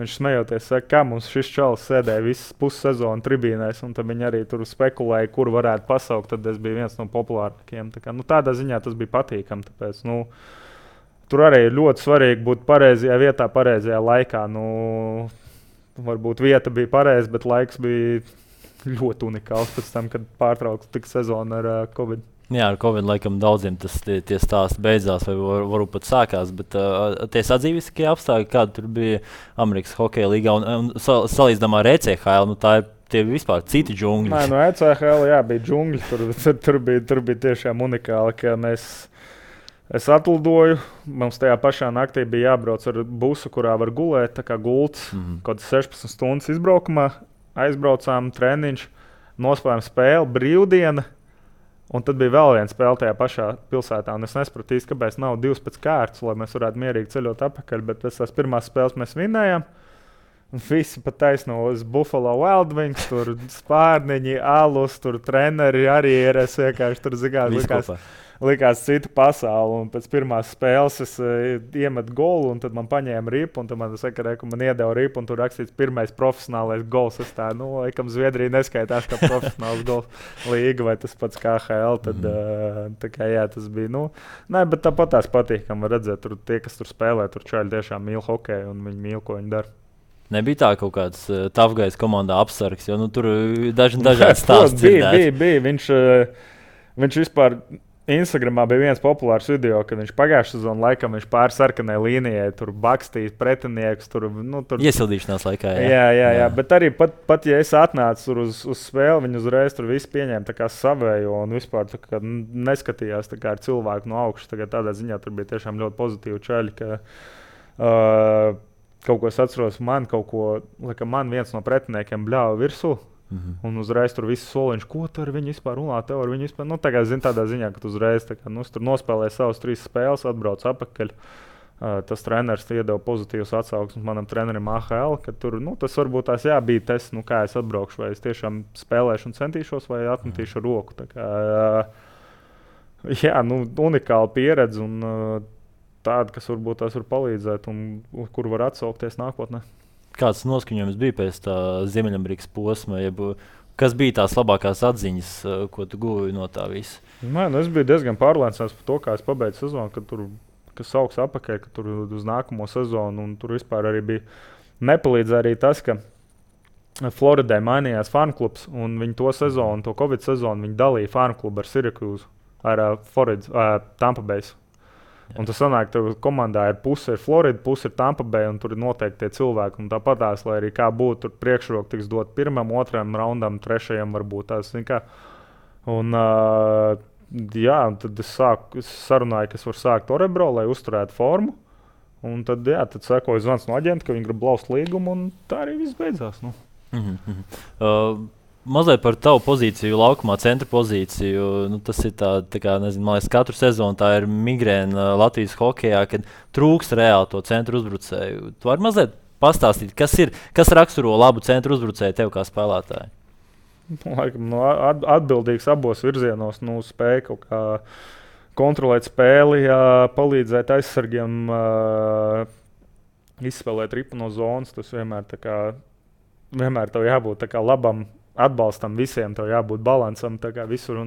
viņš smejoties, saka, kā mums šis čalis sēdēja visas pussezonu tribīnēs, un tad viņi arī tur spekulēja, kur varētu pasaukt, tad es biju viens no populārākajiem. Tādā ziņā tas bija patīkami, tāpēc, tur arī ir ļoti svarīgi būt pareizajā vietā, pareizajā laikā. Varbūt vieta bija pareiza, bet laiks bija ļoti unikāls pēc tam, kad pārtrauks tik sezonu ar Covid. Jā, ar Covid laikam daudziem tie stāsti beidzās, vai varbūt pat sākās. Bet tie sadzīviskie apstākļi, kādi tur bija Amerikas hokeja līgā un salīdzinājumā ar ECHL, tie vispār citi džungļi. Nē, ECHL bija džungļi. Tur bija tiešām unikāli, ka es atlidoju, mums tajā pašā naktī bija jābrauc ar busu, kurā var gulēt, tā kā gults, kaut kāds 16 stundas izbraukumā, aizbraucām, treniņš, nospēlējām spēli, brīvdiena, un tad bija vēl viena spēle tajā pašā pilsētā, un es nesapratu īsti, kāpēc nav 2 pēc kārtas, lai mēs varētu mierīgi ceļot atpakaļ, bet pēc tās pirmās spēles mēs vinējām, un visi pat taisno uz Buffalo Wild Wings, tur spārniņi, alus, tur treneri arī ir, es vienkārši tur likās cita pasaule, un pēc pirmās spēles es iemetu golu, un tad man paņēma ripu, un tad man saka, ka man iedeva ripu, un tur rakstīts pirmais profesionālais gols. Es tā, laikam Zviedrija neskaitās kā profesionāls gols līga, vai tas pats kā HL, tad tā kā jā, tas bija, nē, bet tāpat tās patīkam var redzēt, tur tie, kas tur spēlē, tur čaļi tiešām mīl hokeju, un viņi mīl, ko viņi dara. Nebija tā kaut kāds tafgais komandā apsargs, jo tur dažādi stāsti dzirdēts. Bija. Viņš vispār Instagramā bija viens populārs video, kad viņš pagājušā sezonā laikam pāri sarkanai līnijai tur bakstīja pretiniekus. Tur... Iesildīšanās laikā. Jā. Bet arī pat ja es atnācu uz spēli, viņi uzreiz tur visu pieņēma tā kā savējo un vispār tā kā neskatījās tā kā ar cilvēku no augšas. Tādā ziņā tur bija tiešām ļoti pozitīvi čaļi, ka kaut ko es atceros, man viens no pretiniekiem bļāva virsū. Un uzreiz tur viss soliņš, ko tu ar viņu vispār runā, tev ar viņu vispār. Tādā ziņā, ka tu uzreiz tur nospēlēji savas 3 spēles, atbrauc atpakaļ. Tas treneris iedeva pozitīvas atsauksmes manam trenerim AHL, ka tur, tas varbūt tās bija tests, kā es atbraukšu, vai es tiešām spēlēšu un centīšos, vai atmetīšu roku. Tā kā, unikāla pieredze un tāda, kas varbūt tās var palīdzēt un kur var atsaukties nākotnē. Kāds noskaņojums bija pēc tā Ziemeļamerikas posma? Kas bija tās labākās atziņas, ko tu guvi no tā visa? Es biju diezgan pārliecināts par to, kā es pabeidzu sezonu, ka tur kas sauks apakaļ, ka tur uz nākamo sezonu, un tur vispār arī bija nepalīdzēja arī tas, ka Floridai mainījās fanklubs, un viņi to sezonu, to Covid sezonu, viņi dalīja fanklubu ar Syracuse, ar Tampa Bay. Un tas sanāk, ka komandā ir puse ir Florida, puse ir Tampa Bay, un tur ir noteikti tie cilvēki, un tāpatās, lai arī kā būtu, tur priekšroka tiks dot pirmam, otram raundam, trešajam varbūt tās, un tad es sarunāju, ka es varu sākt Orebro, lai uzturētu formu. Un tad sekoja zvans no aģenta, ka viņi grib laust līgumu, un tā arī viss beidzās. Mazliet par tavu pozīciju, laukumā, centra pozīciju. Tas ir tā kā, nezinu, man liekas, katru sezonu tā ir migrēna Latvijas hokejā, kad trūkst reāli to centru uzbrucēju. Tu vari mazliet pastāstīt, kas raksturo labu centru uzbrucēju tev kā spēlētāju? Laikam, atbildīgs abos virzienos, spēja kaut kā kontrolēt spēli, palīdzēt aizsargiem izspēlēt ripu no zonas. Tas vienmēr tev jābūt labam atbalstam visiem, tev jābūt balansam visur.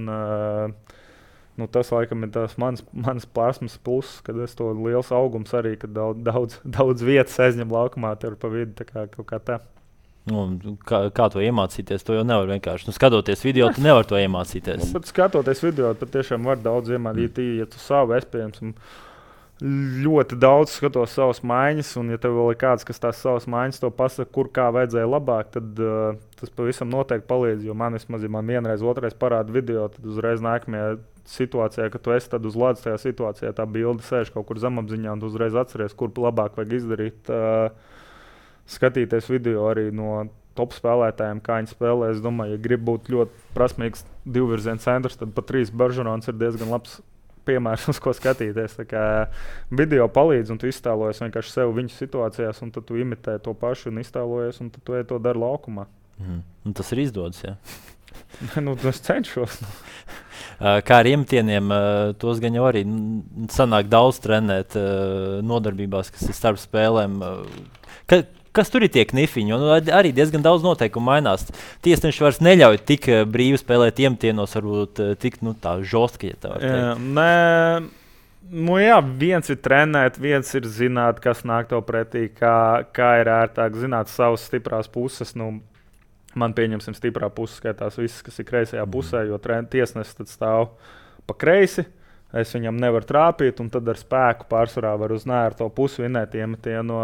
Tas laikam ir tas mans plasmas pluss, kad es to liels augums arī, kad daudz vietas aizņem laukumā, tur pa vidu kaut kā tā. Kā to iemācīties? To jau nevar vienkārši. Skatoties video, tu nevari to iemācīties. Skatoties video, patiešām var daudz iemācīties. Ja tu savu pieejams, ļoti daudz skatos savas maiņas, un ja tev vēl ir kāds, kas tās savas maiņas to pasaka, kur kā vajadzēja labāk, tad tas pavisam noteikti palīdz. Jo man vienreiz, otrais parāda video, tad uzreiz nākamajā situācijā, kad tu esi uz ledus tajā situācijā, tā bilde sēž kaut kur zemapziņā, un tu uzreiz atceries, kur labāk vajag izdarīt. Skatīties video arī no top spēlētājiem, kā viņi spēlē. Es domāju, ja grib būt ļoti prasmīgs divvirziena centrs, tad pat Trīs Baržurons ir diezgan labs piemērs, uz ko skatīties. Tā kā video palīdz, un tu iztēlojies vienkārši sev viņu situācijās, un tad tu imitē to pašu un iztēlojies, un tad tu to dari laukumā. Un tas ir izdodas, jā? Es cenšos. Kā ar iemetieniem, tos gan jau arī sanāk daudz trenēt nodarbībās, kas ir starp spēlēm. Kas tur ir tie knifiņi? Arī diezgan daudz noteikumu mainās. Tiesneši vairs neļauj tik brīvi spēlēt iemtienos, varbūt tik tā žostki, ja tā var teikt. Viens ir trenēt, viens ir zināt, kas nāk tev pretī, kā ir ērtāk zināt savas stiprās puses. Man pieņemsim stiprā puse skaitās viss, kas ir kreisajā pusē, jo tiesnesis tad stāv pa kreisi. Es viņam nevaru trāpīt, un tad ar spēku pārsvarā var uz nērto pusi vinēt iemetienu.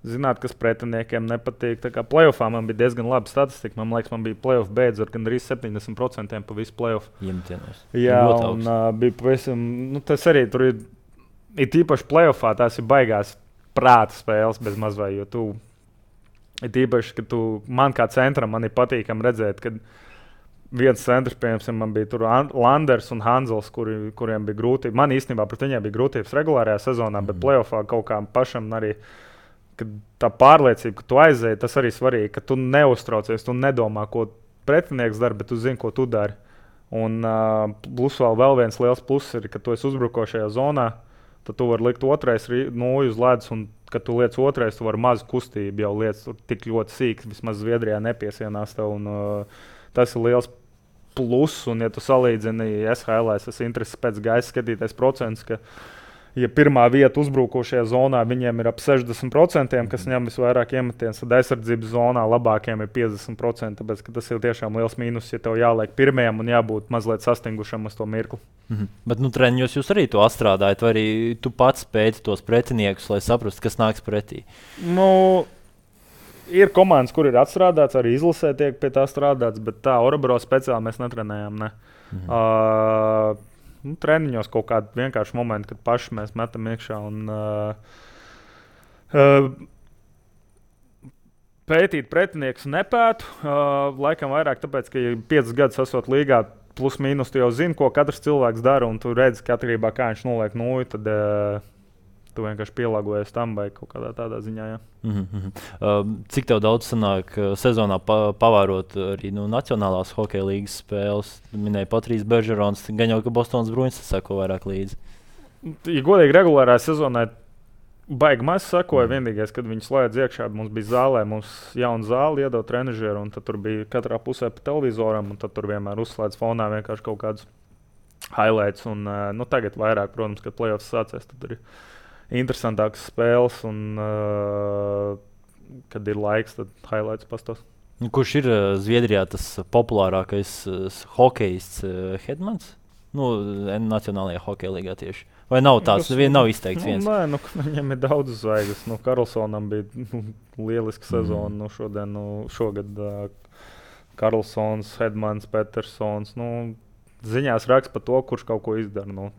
Zināt, kas pretiniekiem nepatīk. Tā kā playoffā man bija diezgan laba statistika. Man liekas, man bija playoff beidzot gandrīz 70% pa visu playoff. Iemtienos. Jā, un bija pavisam, tas arī tur ir īpaši playoffā, tās ir baigās prāta spēles bez mazvai, jo tu, ir īpaši, ka man kā centram, man ir patīkam redzēt, kad viens centrs, piemēram, man bija tur Landers un Hanzels, kuriem bija grūtības. Man īstenībā pret viņiem bija grūtības regulārajā sezonā, bet playoffā kaut kā pašam arī. Tā pārliecība, ka tu aizēji, tas arī svarīgi, ka tu neuztraucies, tu nedomā, ko pretinieks dara, bet tu zini, ko tu dari. Un plus vēl viens liels pluss ir, ka tu esi uzbrukošajā zonā, tad tu vari likt otrais nūju uz ledus, un kad tu liec otrais, tu vari mazu kustību jau liec tik ļoti sīk, vismaz Zviedrijā nepiesienās tev, un tas ir liels pluss, un ja tu salīdzini SHL, es intereses pēc gaisa skatīties procents, ka ja pirmā vieta uzbrukošajā zonā viņiem ir ap 60%, kas ņem visvairāk iemetienus, tad aizsardzības zonā labākiem ir 50%. Tāpēc tas ir tiešām liels mīnus, ja tev jāliek pirmajam un jābūt mazliet sastingušam uz to mirkli. Bet treniņos jūs arī to atstrādājat, vai arī tu pats pēti tos pretiniekus, lai saprastu, kas nāks pretī? Ir komandas, kur ir atstrādāts, arī izlasē tiek pie tā strādāts, bet tā Orebro speciāli mēs netrenējam. Ne. Treniņos kaut kādi vienkārši momenti, kad paši mēs metam iekšā un pētīt pretiniekus nepētu. Laikam vairāk tāpēc, ka 5 gadus esot līgā, plus mīnus tu jau zini, ko katrs cilvēks dara, un tu redzi, ka atkarībā kā viņš noliek nūju, tad tu vienkārši pielāgojies tam vai kaut kādā tādā ziņā. Jā. Cik tev daudz sanāk sezonā pavērot arī Nacionālās hokeja līgas spēles? Minēja Patrijs Beržerons, gan jau, ka Bostonas Bruins sako vairāk līdzi. Ja godīgi regulārā sezonā baigi maz sakoja. Vienīgais, kad viņi slēdz iekšā, mums bija zālē, mums jauna zāle iedod trenažieru, un tad tur bija katrā pusē pa televizoram, un tad tur vienmēr uzslēdz fonā vienkārši kaut kādus highlights. Un, tagad vairāk, protams, kad playoffs sācies, tad ir interesantākas spēles, un kad ir laiks, tad highlights pastos. Kurš ir Zviedrijā tas populārākais hokejists Hedmans? Nacionālajā hokeja līgā tieši. Vai nav tāds? Nav izteikts viens. Nē, viņam ir daudz zvaigznes. Karlsonam bija lieliska sezona. Šogad Karlsons, Hedmans, Petersons. Ziņās raksta par to, kurš kaut ko izdara.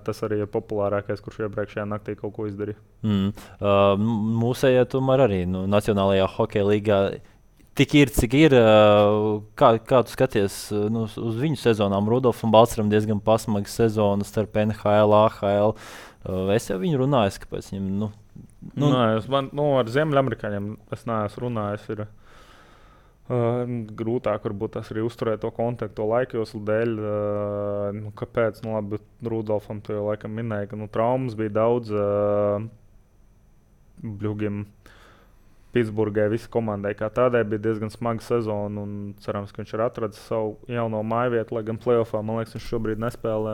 Tas arī ir populārākais, kurš iepriekšējā naktī kaut ko izdarīja. Mūsējā tomēr arī Nacionālajā hokeja līgā. Tik ir, cik ir. Kā tu skaties uz viņu sezonām? Rudolfam Balceram diezgan pasmaga sezona starp NHL, AHL. Es jau viņu runāju, kāpēc viņam. Ar Ziemeļamerikāņiem es neesmu runājis. Ir grūtāk varbūt tas arī uzturēt to kontaktu, to laikjoslu dēļ. Kāpēc? Labi, Rudolfam tu jau laikam minēji, ka traumas bija daudz. Bļugiem. Pitsburgai visai komandai kā tādai bija diezgan smaga sezona, un cerams, ka viņš ir atradzis savu jauno mājvietu, lai gan playoffā, man liekas, viņš šobrīd nespēlē.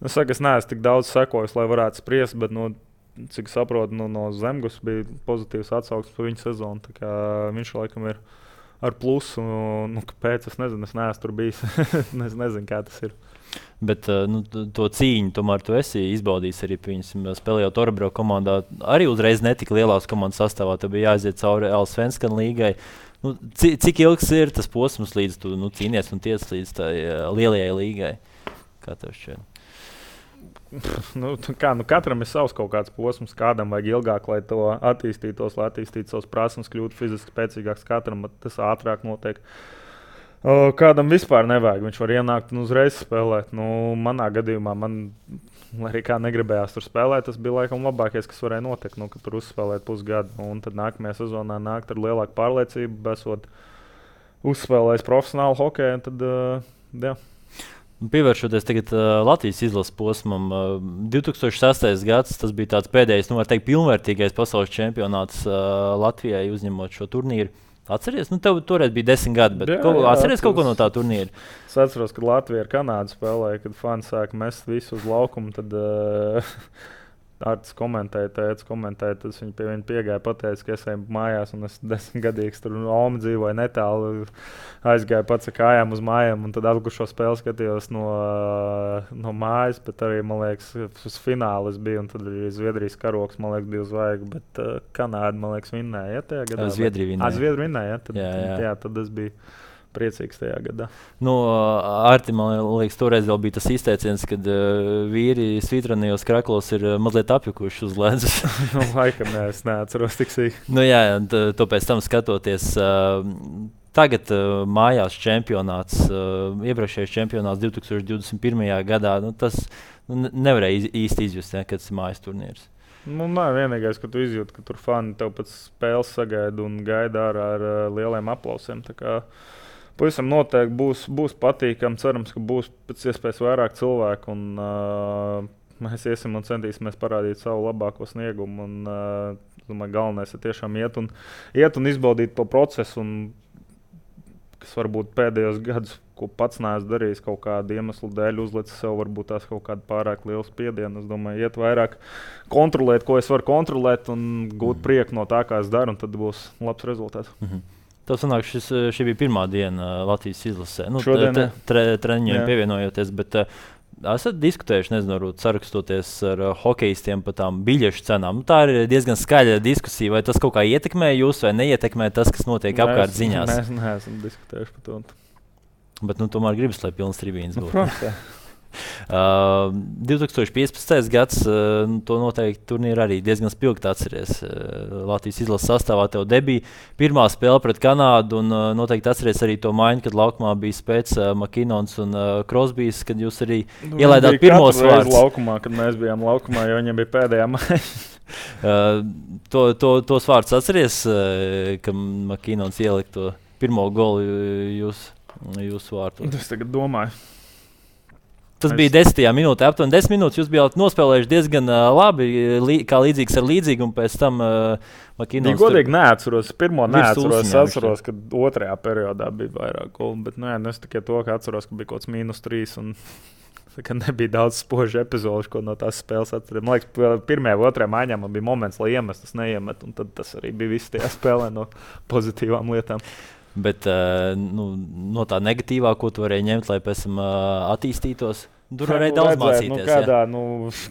Es neesmu tik daudz sekojis, lai varētu spriest, bet, cik saprotu, no Zemgus bija pozitīvs atsauksmes par viņu sezonu. Tā kā viņš laikam ir ar plusu, kāpēc, es nezinu, es neesmu tur bijis, es nezinu, kā tas ir. Bet to cīņu tomēr tu esi izbaudījis arī, spēlējot Orebro komandā. Arī uzreiz netika lielās komandas sastāvā, tad bija jāaiziet cauri Allsvenskan līgai. Cik ilgs ir tas posms, līdz tu cīnies un tiec līdz tai lielajai līgai? Kā tev šķiet? Katram ir savs kaut kāds posms, kādam vajag ilgāk, lai to attīstītos, lai attīstītu savas prasmes, kļūtu fiziski spēcīgāks. Katram tas ātrāk notiek. Kādam vispār nevajag. Viņš var ienākt un uzreiz spēlēt. Manā gadījumā, lai arī kā negribējās tur spēlēt, tas bija laikam labākais, kas varēja notikt. Kad tur uzspēlēt pusgadu, un tad nākamajā sezonā nākt ar lielāku pārliecību, esot uzspēlējis profesionālu hokeju. Tad, jā. Pievēršoties tagad Latvijas izlases posmam, 2006. gads, tas bija tāds pēdējais, pilnvērtīgais pasaules čempionāts Latvijai uzņemot šo turnīru. Atceries? Tev toreiz bija 10 gadi, bet atceries kaut ko no tā turnīra? Es atceros, kad Latvija ar Kanādu spēlēja, kad fani sāka mest visu uz laukumu, tad Artis komentēja, tad viņi pie viņa piegāja, pateica, ka es eju mājās, un es 10-gadīgs tur Omi dzīvoju netālu, aizgāju pats ar kājām uz mājām, un tad atgušo spēli skatījos no mājas, bet arī, man liekas, uz finālu es biju, un tad arī Zviedrijas karoks, man liekas, bija uzvaigi, bet Kanāda, man liekas, vinnēja, tajā gadā. Zviedrija vinnēja. Zviedrija vinnēja, jā. Tad es biju priecīgs tajā gadā. Arti, man liekas, toreiz vēl bija tas izteiciens, kad vīri svitranījos kraklos ir mazliet apjukuši uz ledus. Laikam, es neatceros tik sīk. Jā, to pēc tam skatoties. Tagad mājās čempionāts, iepriekšējais čempionāts 2021. gadā, tas nevarēja īsti izjust, kad tas ir mājas turnīrs. Vienīgais, ka tu izjūti, ka tur fani tev pēc spēles sagaida un gaida ārā ar lieliem aplausiem. Pavisam noteikti būs patīkami. Cerams, ka būs pēc iespējas vairāk cilvēku. Mēs iesim un centīsimies parādīt savu labāko sniegumu. Domāju, galvenais ir tiešām iet un izbaudīt to procesu. Kas varbūt pēdējos gadus, ko pats neesmu darījis, kaut kādu iemeslu dēļ, uzlicis sev varbūt tās kaut kādu pārāk lielu spiedienu. Es domāju, iet vairāk kontrolēt, ko es varu kontrolēt un gūt prieku no tā, kā es daru, un tad būs labs rezultāts. Tev sanāk, šī bija pirmā diena Latvijas izlasē. Šodien treniņiem pievienojoties, bet esat diskutējuši, nezinu, sarakstoties ar hokejistiem par tām biļešu cenām. Tā ir diezgan skaļa diskusija. Vai tas kaut kā ietekmē jūs vai neietekmē tas, kas notiek apkārt ziņās? Mēs neesam diskutējuši par to. Bet tomēr gribas, lai pilns tribīns būtu. Protams, 2015. gads, to noteikti turnīru arī diezgan spilgti atceries. Latvijas izlases sastāvā tev debija. Pirmā spēle pret Kanādu, un noteikti atceries arī to maiņu, kad laukumā bija Spēts, Makinons un Krosbijs, kad jūs arī ielaidāt pirmos vārdus. Laukumā, kad mēs bijām laukumā, jo viņiem bija pēdējā maiņa. Tos vārdus atceries, ka Makinons ielika to pirmo golu jūsu vārtos? Es tagad domāju. Tas bija 10. minūtē, aptuveni 10 minūtes. Jūs bijāt nospēlējuši diezgan labi, kā līdzīgs ar līdzīgu, un pēc tam Makinons. Godīgi neatceros. Pirmo neatceros. Es atceros, ka otrajā periodā bija vairāk golu, bet es tikai to, ka atceros, ka bija kaut kāds -3. Un ka nebija daudz spožu epizodu, ko no tās spēles atceros. Man liekas, pirmajā vai otrajā maiņā man bija moments, lai iemestu, tas neiemet, un tad tas arī bija viss tajā spēlē no pozitīvām lietām. Bet no tā negatīvā, ko tu varēji ņemt, lai pēc tam attīstītos, tur varēja daudz mācīties.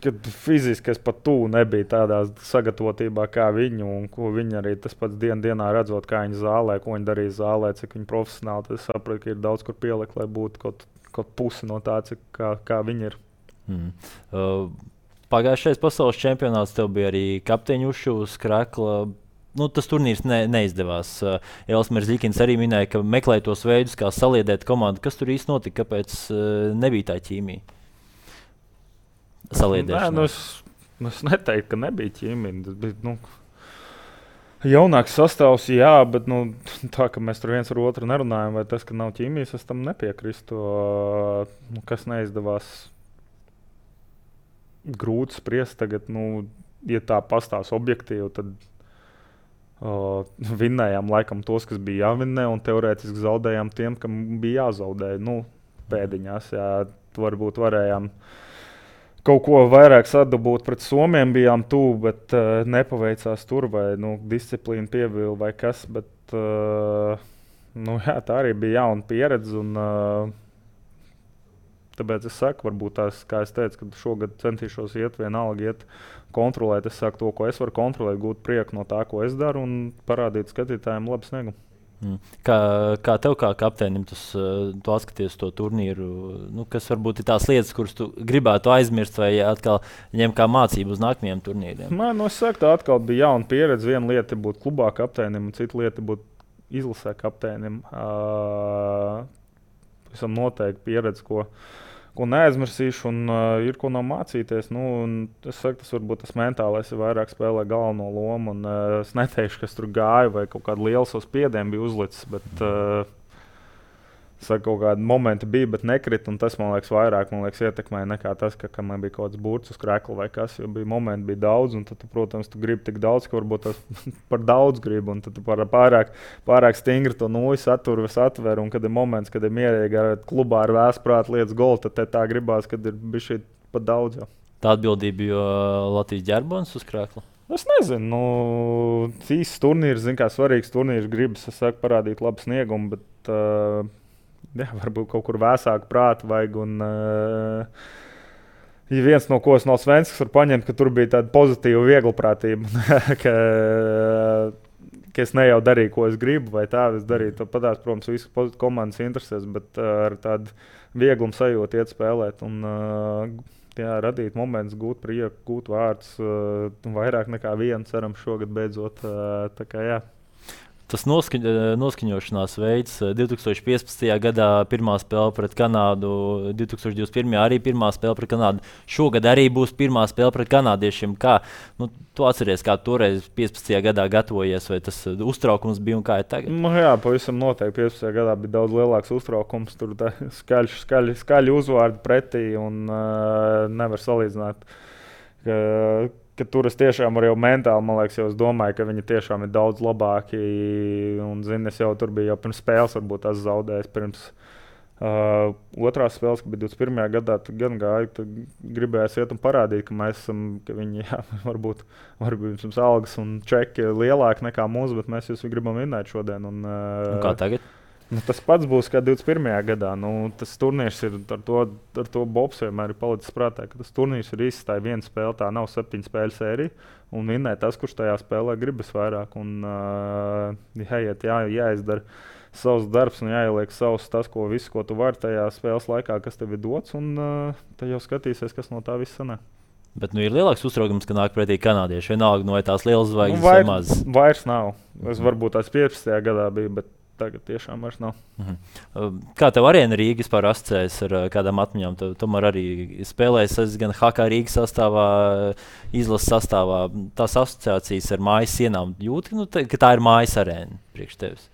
Kad fiziski es pat tuvu nebija tādā sagatavotībā kā viņu, un ko viņi arī tas pats dienā redzot, kā viņi zālē, ko viņi darīja zālē, cik viņi profesionāli. Tad es sapratu, ka ir daudz kur pielikt, lai būtu kaut pusi no tā, kā viņi ir. Pagājušais pasaules čempionāts tev bija arī kapteiņu uzšūs, Krekla. Tas turnīrs neizdevās. Elsmers Zikins arī minēja, ka meklēja tos veidus, kā saliedēt komandu. Kas tur īsti notika? Kāpēc nebija tā ķīmija? Saliedēšana. Es neteiktu, ka nebija ķīmija. Tas bija jaunāks sastāvs, jā, bet tā, ka mēs tur viens ar otru nerunājam, vai tas, ka nav ķīmijas, es tam nepiekrīstu. Kas neizdevās, grūti spriest tagad. Ja tā pastāv objektīvi, tad vinnējām laikam tos, kas bija jāvinnē, un teorētiski zaudējām tiem, kam bija jāzaudē. Pēdiņās, jā, varbūt varējām kaut ko vairāk sadabūt pret Somiem, bijām tuvu, bet nepaveicās tur, vai disciplīna pievila vai kas. Bet, jā, tā arī bija jauna pieredze, un tāpēc es saku, varbūt tās, kā es teicu, ka šogad centīšos vienalga kontrolēt. Es saku to, ko es varu kontrolēt, gūt prieku no tā, ko es daru, un parādīt skatītājiem labu sniegumu. Kā tev, kā kapteinim, tu atskaties to turnīru? Kas varbūt ir tās lietas, kuras tu gribētu aizmirst, vai atkal ņem kā mācību uz nākamajiem turnīriem? Es saku, tā atkal bija jauna pieredze. Viena lieta ir būt klubā kapteinim, un cita lieta ir būt izlasē kapteinim. Esam noteikti pieredze, ko neaizmirsīšu, un ir ko no mācīties. Es saku, tas varbūt tas mentālais ir vairāk spēlē galveno lomu, un es neteikšu, kas tur gāja vai kaut kādu lielu savu spiedienu bija uzlicis, bet kaut kādi momenti bija, bet nekrita, un tas, man liekas, vairāk ietekmēja nekā tas, ka man bija kaut kāds burts uz krekla vai kas, jo momenti bija daudz, un tad, protams, tu gribi tik daudz, ka varbūt tas par daudz gribi, un tad tu pārāk stingri to atver, un kad ir moments, kad ir mierīgi ar klubā ar vēsprātu lietas golu, tad tā gribās, kad ir bišķi pat daudz. Jau. Tā atbildība, jo Latvijas ģerbons uz krekla? Es nezinu, īsts turnīrs, kā svarīgs turnīrs, gribas, es saku, parādīt labu sniegumu, bet jā, varbūt kaut kur vēsāku prātu vajag. Un, ja viens no ko es no Svenskas varu paņemt, ka tur bija tāda pozitīva vieglprātība, ka es ne jau darīju, ko es gribu, vai tā es darīju. To padās, protams, visu komandas interesēs, bet ar tādu vieglumu sajūtu iet spēlēt. Un, jā, radīt momentus, gūt prieku, gūt vārdus, vairāk nekā vienu, ceram, šogad beidzot. Tā kā, jā. Tas noskaņošanās veids 2015. gadā pirmā spēle pret Kanādu, 2021. arī pirmā spēle pret Kanādu. Šogad arī būs pirmā spēle pret kanādiešiem. Kā, tu atceries, kā toreiz 15. gadā gatavojies, vai tas uztraukums bija un kā ir tagad? Jā, pavisam noteikti 15. gadā bija daudz lielāks uztraukums. Tur skaļi uzvārdi pretī un nevar salīdzināt. Ka tur es tiešām arī mentāli, man liekas, jau es domāju, ka viņi tiešām ir daudz labāki. Un, es jau tur biju jau pirms spēles, varbūt tas zaudējis pirms otrās spēles, kad bija 21. gadā. Tad gan gāju, tad gribējās iet un parādīt, ka mēs esam, ka viņi, jā, varbūt mums algas un čeki lielāki nekā mūsu, bet mēs jūs gribam vinnēt šodien. Un kā tagad? Tas pats būs kā 21. gadā. Tas turnīrs ir ar to Bobs vienmēr ir palicis prātā, ka tas turnīrs ir īsts, tā ir viena spēle, tā nav 7 spēļu sērija. Un vinnēt tas, kurš tajā spēlē gribas vairāk. Un jāizdara savs darbs un jāieliek tas, ko tu vari tajā spēles laikā, kas tev ir dots, un tad jau skatīsies, kas no tā viss sanāk. Bet ir lielāks uztraukums, ka nāk pretī kanādieši. Vienalga no tās lielas zvaigznes vai mazas. Vairs nav. Es varbūt tās 15. gadā biju, bet tagad tiešām vairs nav. Kā tev Arēna Rīga vispār asociējas ar kādām atmiņām? Tomēr arī spēlējies gan HK Rīgas sastāvā, izlases sastāvā. Tās asociācijas ar mājas sienām jūti, ka tā ir mājas arēna priekš tevis.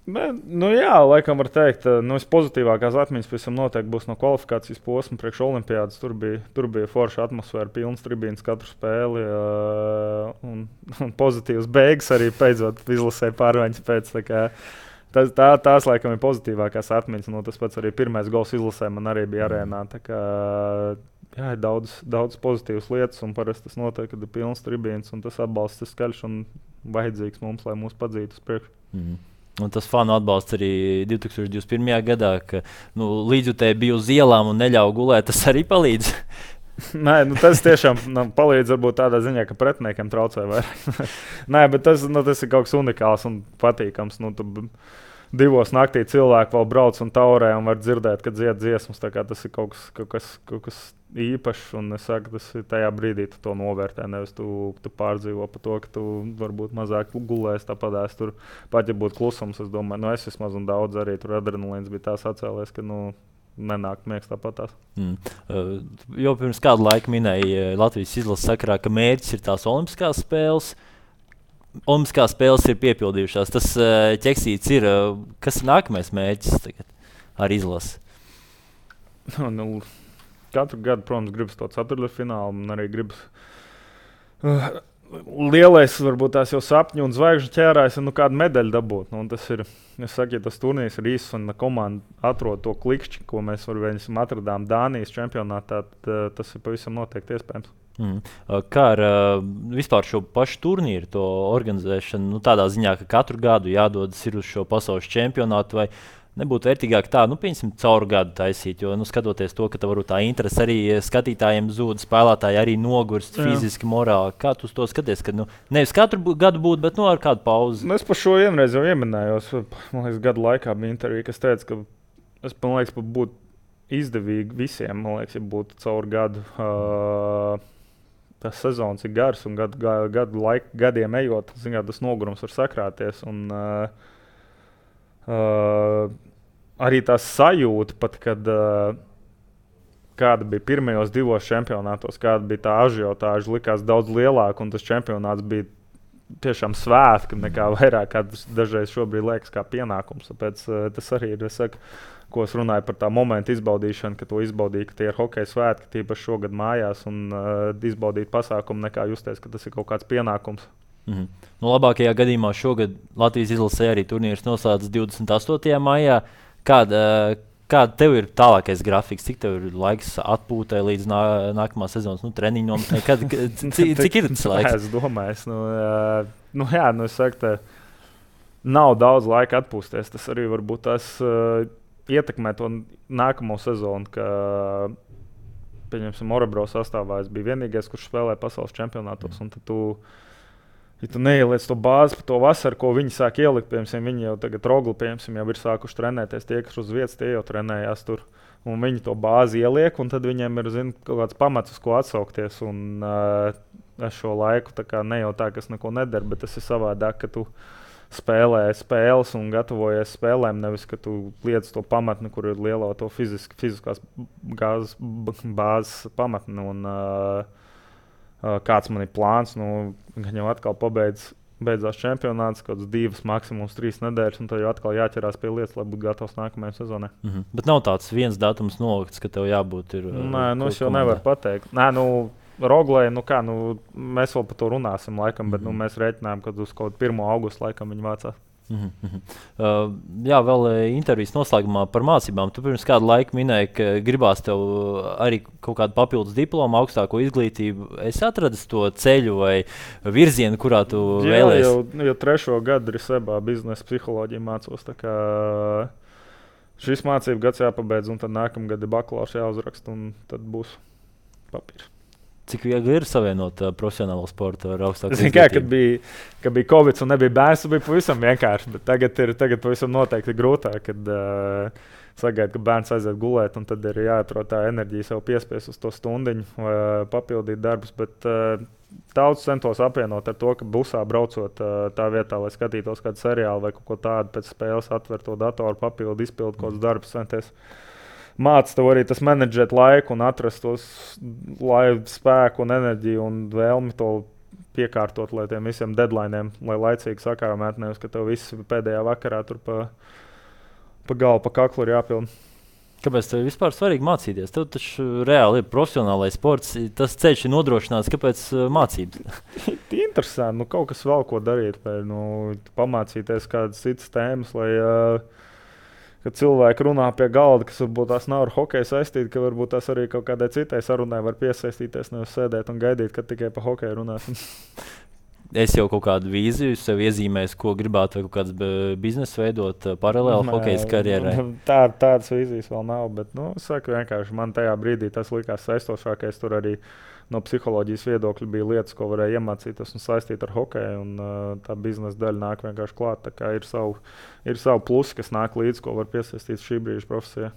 Jā, laikam var teikt, pozitīvākās atmiņas pavisam noteikti būs no kvalifikācijas posma priekš olimpiādas. Tur bija forša atmosfēra, pilns tribīns katru spēli un pozitīvs beigas arī beidzot izlasē pārmaiņas pēc. Tās laikam ir pozitīvākās atmiņas. Tas pats arī pirmais gols izlasē man arī bija arēnā. Jā, ir daudz pozitīvas lietas, un parasti tas notiek, kad ir pilns tribīns un tas atbalsts ir skaļš un vajadzīgs mums, lai mūs padzītu uz priekšu. Un tas fanu atbalsts arī 2021. gadā, ka līdzjutēji bija uz ielām un neļauj gulēt. Tas arī palīdz. Nē, tas tiešām palīdz varbūt tādā ziņā, ka pretiniekiem traucē vairāk. Nē, bet tas ir kaut kas unikāls un patīkams. 2 naktī cilvēki vēl brauc un taurē un var dzirdēt, kad dzied dziesmas. Tas ir kaut kas īpašs, un es saku, tas ir tajā brīdī tu to novērtē. Nevis tu pārdzīvo par to, ka tu varbūt mazāk gulēsi tāpatās. Tur pat ja būtu klusums, es domāju, es vismaz un daudz arī tur adrenalīns bija tās atcēlies, ka nenāk miegs tāpatās. Jau pirms kādu laiku minēja Latvijas izlases sakarā, ka mērķis ir tās olimpiskās spēles. Olimpiskās spēles ir piepildījušās. Tas ķeksīts ir. Kas ir nākamais mērķis tagad ar izlasi? Katru gadu, protams, gribas to ceturtdaļfinālu, un arī gribas lielais, varbūt tās jau sapņu un zvaigžņu ķērājs, kādu medaļu dabūt. Tas ir, es saku, ja tas turnīrs ir īsts un komanda atrod to klikšķi, ko mēs atradām Dānijas čempionātā, tad tas ir pavisam noteikti iespējams. Kā ar vispār šo pašu turnīru, to organizēšanu, tādā ziņā, ka katru gadu jādodas uz šo pasaules čempionātu, vai nebūtu vērtīgāk tā, pieņemsim, caur gadu taisīt, jo, skatoties to, ka tā interese arī skatītājiem zūd, spēlētāji arī nogurst fiziski, morāli. Kā tu to skaties, ka nevis katru gadu būtu, bet ar kādu pauzi? Es par šo vienreiz jau ieminējos, man liekas, gadu laikā bija intervija, kas teica, ka es, man liekas, būtu izdevīgi visiem, man liekas, ja būtu caur gadu. Tas sezons ir gars, un gadiem ejot, tas nogurums var sakrāties. Un, arī tā sajūta, pat kad kāda bija pirmajos 2 čempionātos, kāda bija tā ažiotāža, likās daudz lielāka, un tas čempionāts bija tiešām svētki, nekā vairāk, kā tas dažreiz šobrīd liekas kā pienākums. Tāpēc tas arī ir, ko es runāju par tā momentu izbaudīšanu, ka to izbaudīja, ka tie ir hokeja svētki, tīpaši šogad mājās, un izbaudīt pasākumu, nekā justies, ka tas ir kaut kāds pienākums. Labākajā gadījumā šogad Latvijas izlasē arī turnīrs noslēdzas 28. maijā. Kāda tev ir tālākais grafiks? Cik tev ir laiks atpūtai līdz nākamā sezonas treniņu nometnē? Cik ir tas laiks? Es domāju, es saku, nav daudz laika atpūsties. Tas arī varbūt tas ietekmē to nākamo sezonu, ka, pieņemsim, Orebro sastāvā es biju vienīgais, kurš spēlē pasaules čempionātos, un tad ja tu neieliec to bāzi par to vasaru, ko viņi sāk ielikt, piemēram, viņi jau tagad Rogli, piemēram, jau ir sākuši trenēties, tie, kas uz vietas, tie jau trenējās tur, un viņi to bāzi ieliek, un tad viņiem ir, kaut kāds pamats, uz ko atsaukties, un es šo laiku ne jau tā, kas neko nedara, bet tas ir savādāk, ka tu spēlē spēles un gatavojies spēlēm, nevis, ka tu liec to pamatni, kur ir lielā to fiziskās bāzes pamatni, un kāds man ir plāns, gan jau atkal beidzās čempionāts, kaut kāds 2, maksimums 3 nedēļas, un tad jau atkal jāķerās pie lietas, lai būtu gatavs nākamajai sezonai. Bet nav tāds viens datums nolikts, ka tev jābūt ir. Nē, es jau nevaru pateikt. Nē, Roglē, mēs vēl par to runāsim, laikam, bet mēs rēķinām, ka uz kaut 1. augustu laikam viņi mācās. Jā, vēl intervijas noslēgumā par mācībām. Tu pirms kādu laiku minēji, ka gribās tev arī kaut kādu papildus diplomu, augstāko izglītību. Es atradu to ceļu vai virzienu, kurā tu vēlējies. Jau 3. gadu Risebā biznesa psiholoģiju mācos. Šis mācību gads jāpabeidz, un tad nākamgad ir bakalaurs jāuzraksta, un tad būs papīrs. Cik viegli ir savienot profesionālo sportu ar augstāku līmeni? Kad bija Covid un nebija bērns, tas bija pavisam vienkārši. Bet tagad pavisam noteikti grūtāk, kad sagaida, ka bērns aiziet gulēt, un tad ir jāatrod tā enerģija sev piespiest uz to stundiņu, papildīt darbus. Bet daudz centos apvienot ar to, ka busā braucot tā vietā, lai skatītos kādu seriālu vai kaut ko tādu, pēc spēles atver to datoru, papildu, izpildu kaut kādus darbus, centies. Māc tev arī tas menedžēt laiku un atrast tos spēku un enerģiju un vēlmi to piekārtot, lai tiem visiem deadlineiem, lai laicīgi sakārmēt, nevis, ka tev viss pēdējā vakarā tur pa galvu, pa kaklu ir jāpilna. Kāpēc tev vispār svarīgi mācīties? Tev taču reāli ir profesionālais sports, tas ceļš ir nodrošināts, kāpēc mācības? Interesanti, kaut kas vēl ko darīt, vai pamācīties kādas citas tēmas, lai kad cilvēki runā pie galda, kas varbūt tās nav ar hokeju saistīti, ka varbūt tās arī kaut kādai citai sarunai var piesaistīties, nevis sēdēt un gaidīt, kad tikai pa hokeju runāsim. Es jau kaut kādu vīziju sev iezīmēju, ko gribētu, vai kaut kāds biznesa veidot paralēli hokejas karjerai. Tādas vīzijas vēl nav, bet, saku vienkārši, man tajā brīdī tas likās saistošākais. Tur arī no psiholoģijas viedokļa bija lietas, ko varēja iemācīties un saistīt ar hokeju, un tā biznesa daļa nāk vienkārši klāt. Tā kā ir savu plusi, kas nāk līdzi, ko var piesaistīt šī brīža profesijā.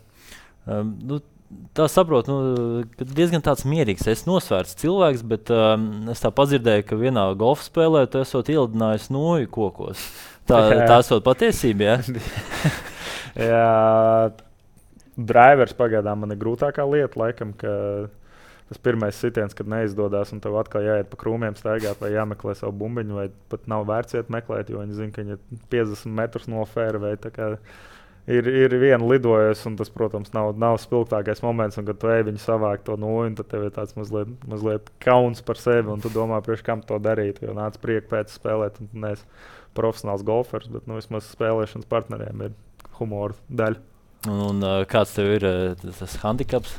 Tā saprotu, ka diezgan tāds mierīgs, es nosvērts cilvēks, bet es tā padzirdēju, ka vienā golfa spēlē tu esot ielidinājis noju kokos. Tā esot patiesība, ja? Jā, drivers pagaidām man ir grūtākā lieta, laikam, ka tas pirmais sitiens, kad neizdodas, un tev atkal jāiet pa krūmiem staigāt vai jāmeklē savu bumbiņu, vai pat nav vērts iet meklēt, jo viņi zina, ka viņi ir 50 metrus no fairway. Ir viena lidojusi, un tas, protams, nav spilgtākais moments, un kad tu ej viņu savākt to noju, tad tev ir tāds mazliet kauns par sevi, un tu domā, priekš kam to darīt, jo nāc prieku pēc spēlēt, un tu neesi profesionāls golfers, bet vismaz spēlēšanas partneriem ir humora daļa. Un kāds tev ir tas handikaps?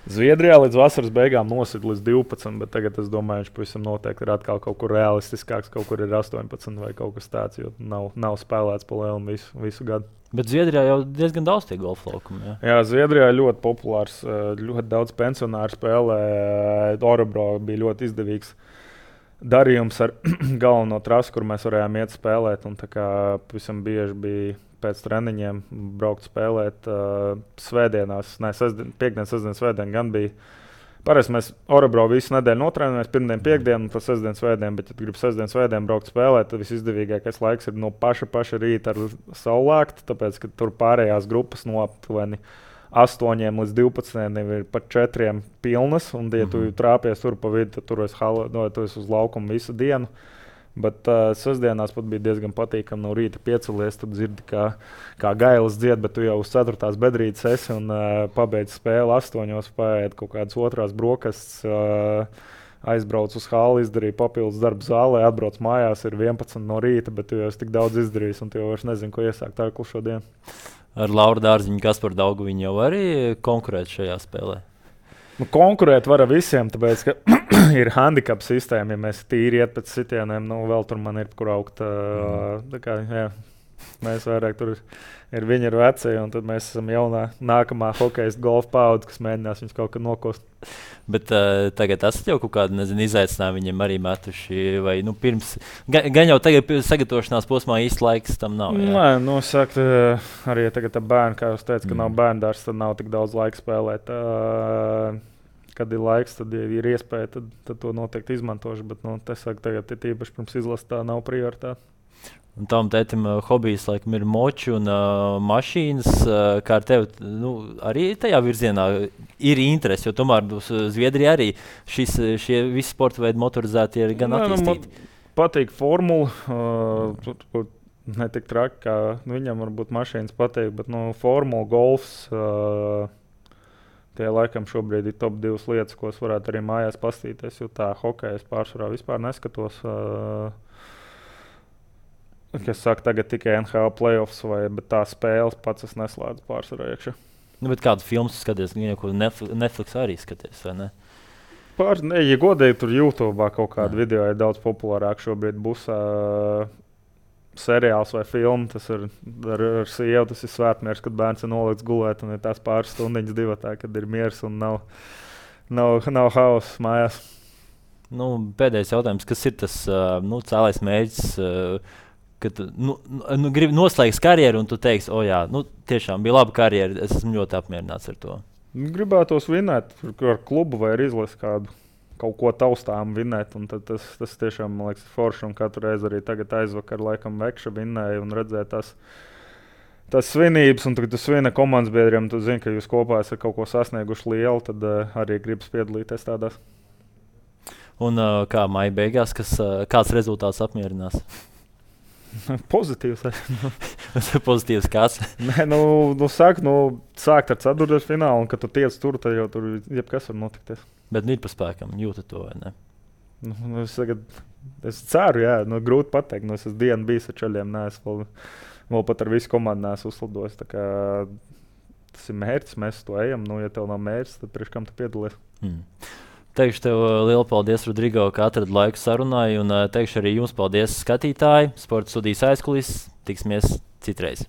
Zviedrijā līdz vasaras beigām nosita līdz 12, bet tagad es domāju, viņš pavisam noteikti ir atkal kaut kur realistiskāks, kaut kur ir 18 vai kaut kas tāds, jo nav spēlēts pa lielu visu gadu. Bet Zviedrijā jau diezgan daudz tie golfa laukumi. Jā, Zviedrijā ļoti populārs, ļoti daudz pensionāru spēlē. Orebro bija ļoti izdevīgs darījums ar galveno trasu, kur mēs varējām iet spēlēt. Un tā kā pavisam bieži bija pēc treniņiem braukt spēlēt svētdienās, piekdien, sestdien, svētdien gan bija. Parasti mēs Orebro visu nedēļu notrenējamies, pirmdien, piekdienu, un tas sestdien, svētdien, bet, ja gribi sestdien, svētdien braukt spēlēt, tad visizdevīgākais laiks ir no paša rīta ar saulēktu, tāpēc, ka tur pārējās grupas no aptuveni 8 līdz 12 ir pat 4 pilnas, un, ja tu trāpies tur pa vidu, tad tur esi uz laukumu visu dienu. Bet sestdienās pat bija diezgan patīkami no rīta piecelies, tad dzirdi, kā gailis dzied, bet tu jau uz 4. bedrītes esi un pabeidz spēli 8, paēd kaut kādas otrās brokastis, aizbrauc uz hali, izdarīja papildus darbu zālē, atbrauc mājās, ir 11 no rīta, bet tu jau esi tik daudz izdarījis un tu jau vairs nezini, ko iesākt ar klušo dienu. Ar Lauru Dārziņu, Kasparu Daugaviņu jau arī konkurēt šajā spēlē? Konkurēt var ar visiem, tāpēc, ka ir handicap sistēma, ja mēs tīri iet pēc sitieniem, vēl tur man ir kur augt. Mēs vairāk tur ir viņi ir veci, un tad mēs esam nākamā hokejas golfa paudze, kas mēģinās viņus kaut kad nokost. Bet tagad esat jau kaut kādu, izaicinājumu viņiem arī metuši, vai pirms, gan jau tagad sagatavošanās posmā īsti laiks tam nav. Jā? Nē, sakt, arī tagad bērni, kā jūs teicat, ka nav bērndārs, tad nav tik daudz laika spēlēt. Kad ir laiks, tad ir iespēja, tad to noteikti izmantošu, bet tagad ir tīpaši pirms izlases tā nav prioritāte. Un tam tētim hobijs laikam ir moči un mašīnas, kā ar tevi arī tajā virzienā ir interesi, jo tomēr Zviedrijā arī šie visi sporta veidi motorizēti ir gan attīstīti. Man patīk formula, ne tik traki, kā viņam varbūt mašīnas patīk, bet formula, golfs, tie laikam šobrīd ir top 2 lietas, ko es varētu arī mājās pastīties, jo tā hokeja es pārsvarā vispār neskatos. Kas saka, tagad tikai NHL playoffs, bet tā spēles pats es neslēdzu pārsvarā iekšā. Bet kādu filmu skaties? Ko Netflix arī skaties, vai ne? Ja godīgi, tur YouTube kaut kādu video ir daudz populārāk šobrīd būs seriāls vai filma. Tas ir ar sievu, tas ir svētmiers, kad bērns ir nolikts gulēt un ir tās pāris stundiņas divatā, kad ir miers un nav hauss mājās. Pēdējais jautājums, kas ir tas cēlais mērķis, kad gribi noslēgt karjeru un tu teiksi, tiešām bija laba karjera, es esmu ļoti apmierināts ar to. Gribētos vinēt ar klubu vai ar izlasi kaut ko taustām vinēt, un tas tiešām, man liekas, forši, un katru reizi arī tagad aizvakar laikam Vekša vinēja un redzēja tas svinības, un kad tu svini komandas biedriem, tu zini, ka jūs kopā esat kaut ko sasnieguši lielu, tad arī gribas piedalīties tādās. Un kā maija beigās, kāds rezultāts apmierinās? Pozitīvs. Pozitīvs kāds? Nē, sākt ar ceturto finālu, un kad tu tiec tur, tad jau tur jebkas var notikties. Bet ir pa spēkam, jūtat to, vai ne? Es ceru, jā, grūti pateikt. Es esmu dienu bijis ar čaļiem, neesmu vēl pat ar visu komandu neesmu uzslidojis. Tas ir mērķis, mēs to ejam. Ja tev nav mērķis, tad priekš kam tu piedalies? Teikšu tev lielu paldies, Rodrigo, ka atradi laiku sarunai, un teikšu arī jums paldies, skatītāji, Sporta studijas aizkulis. Tiksimies citreiz.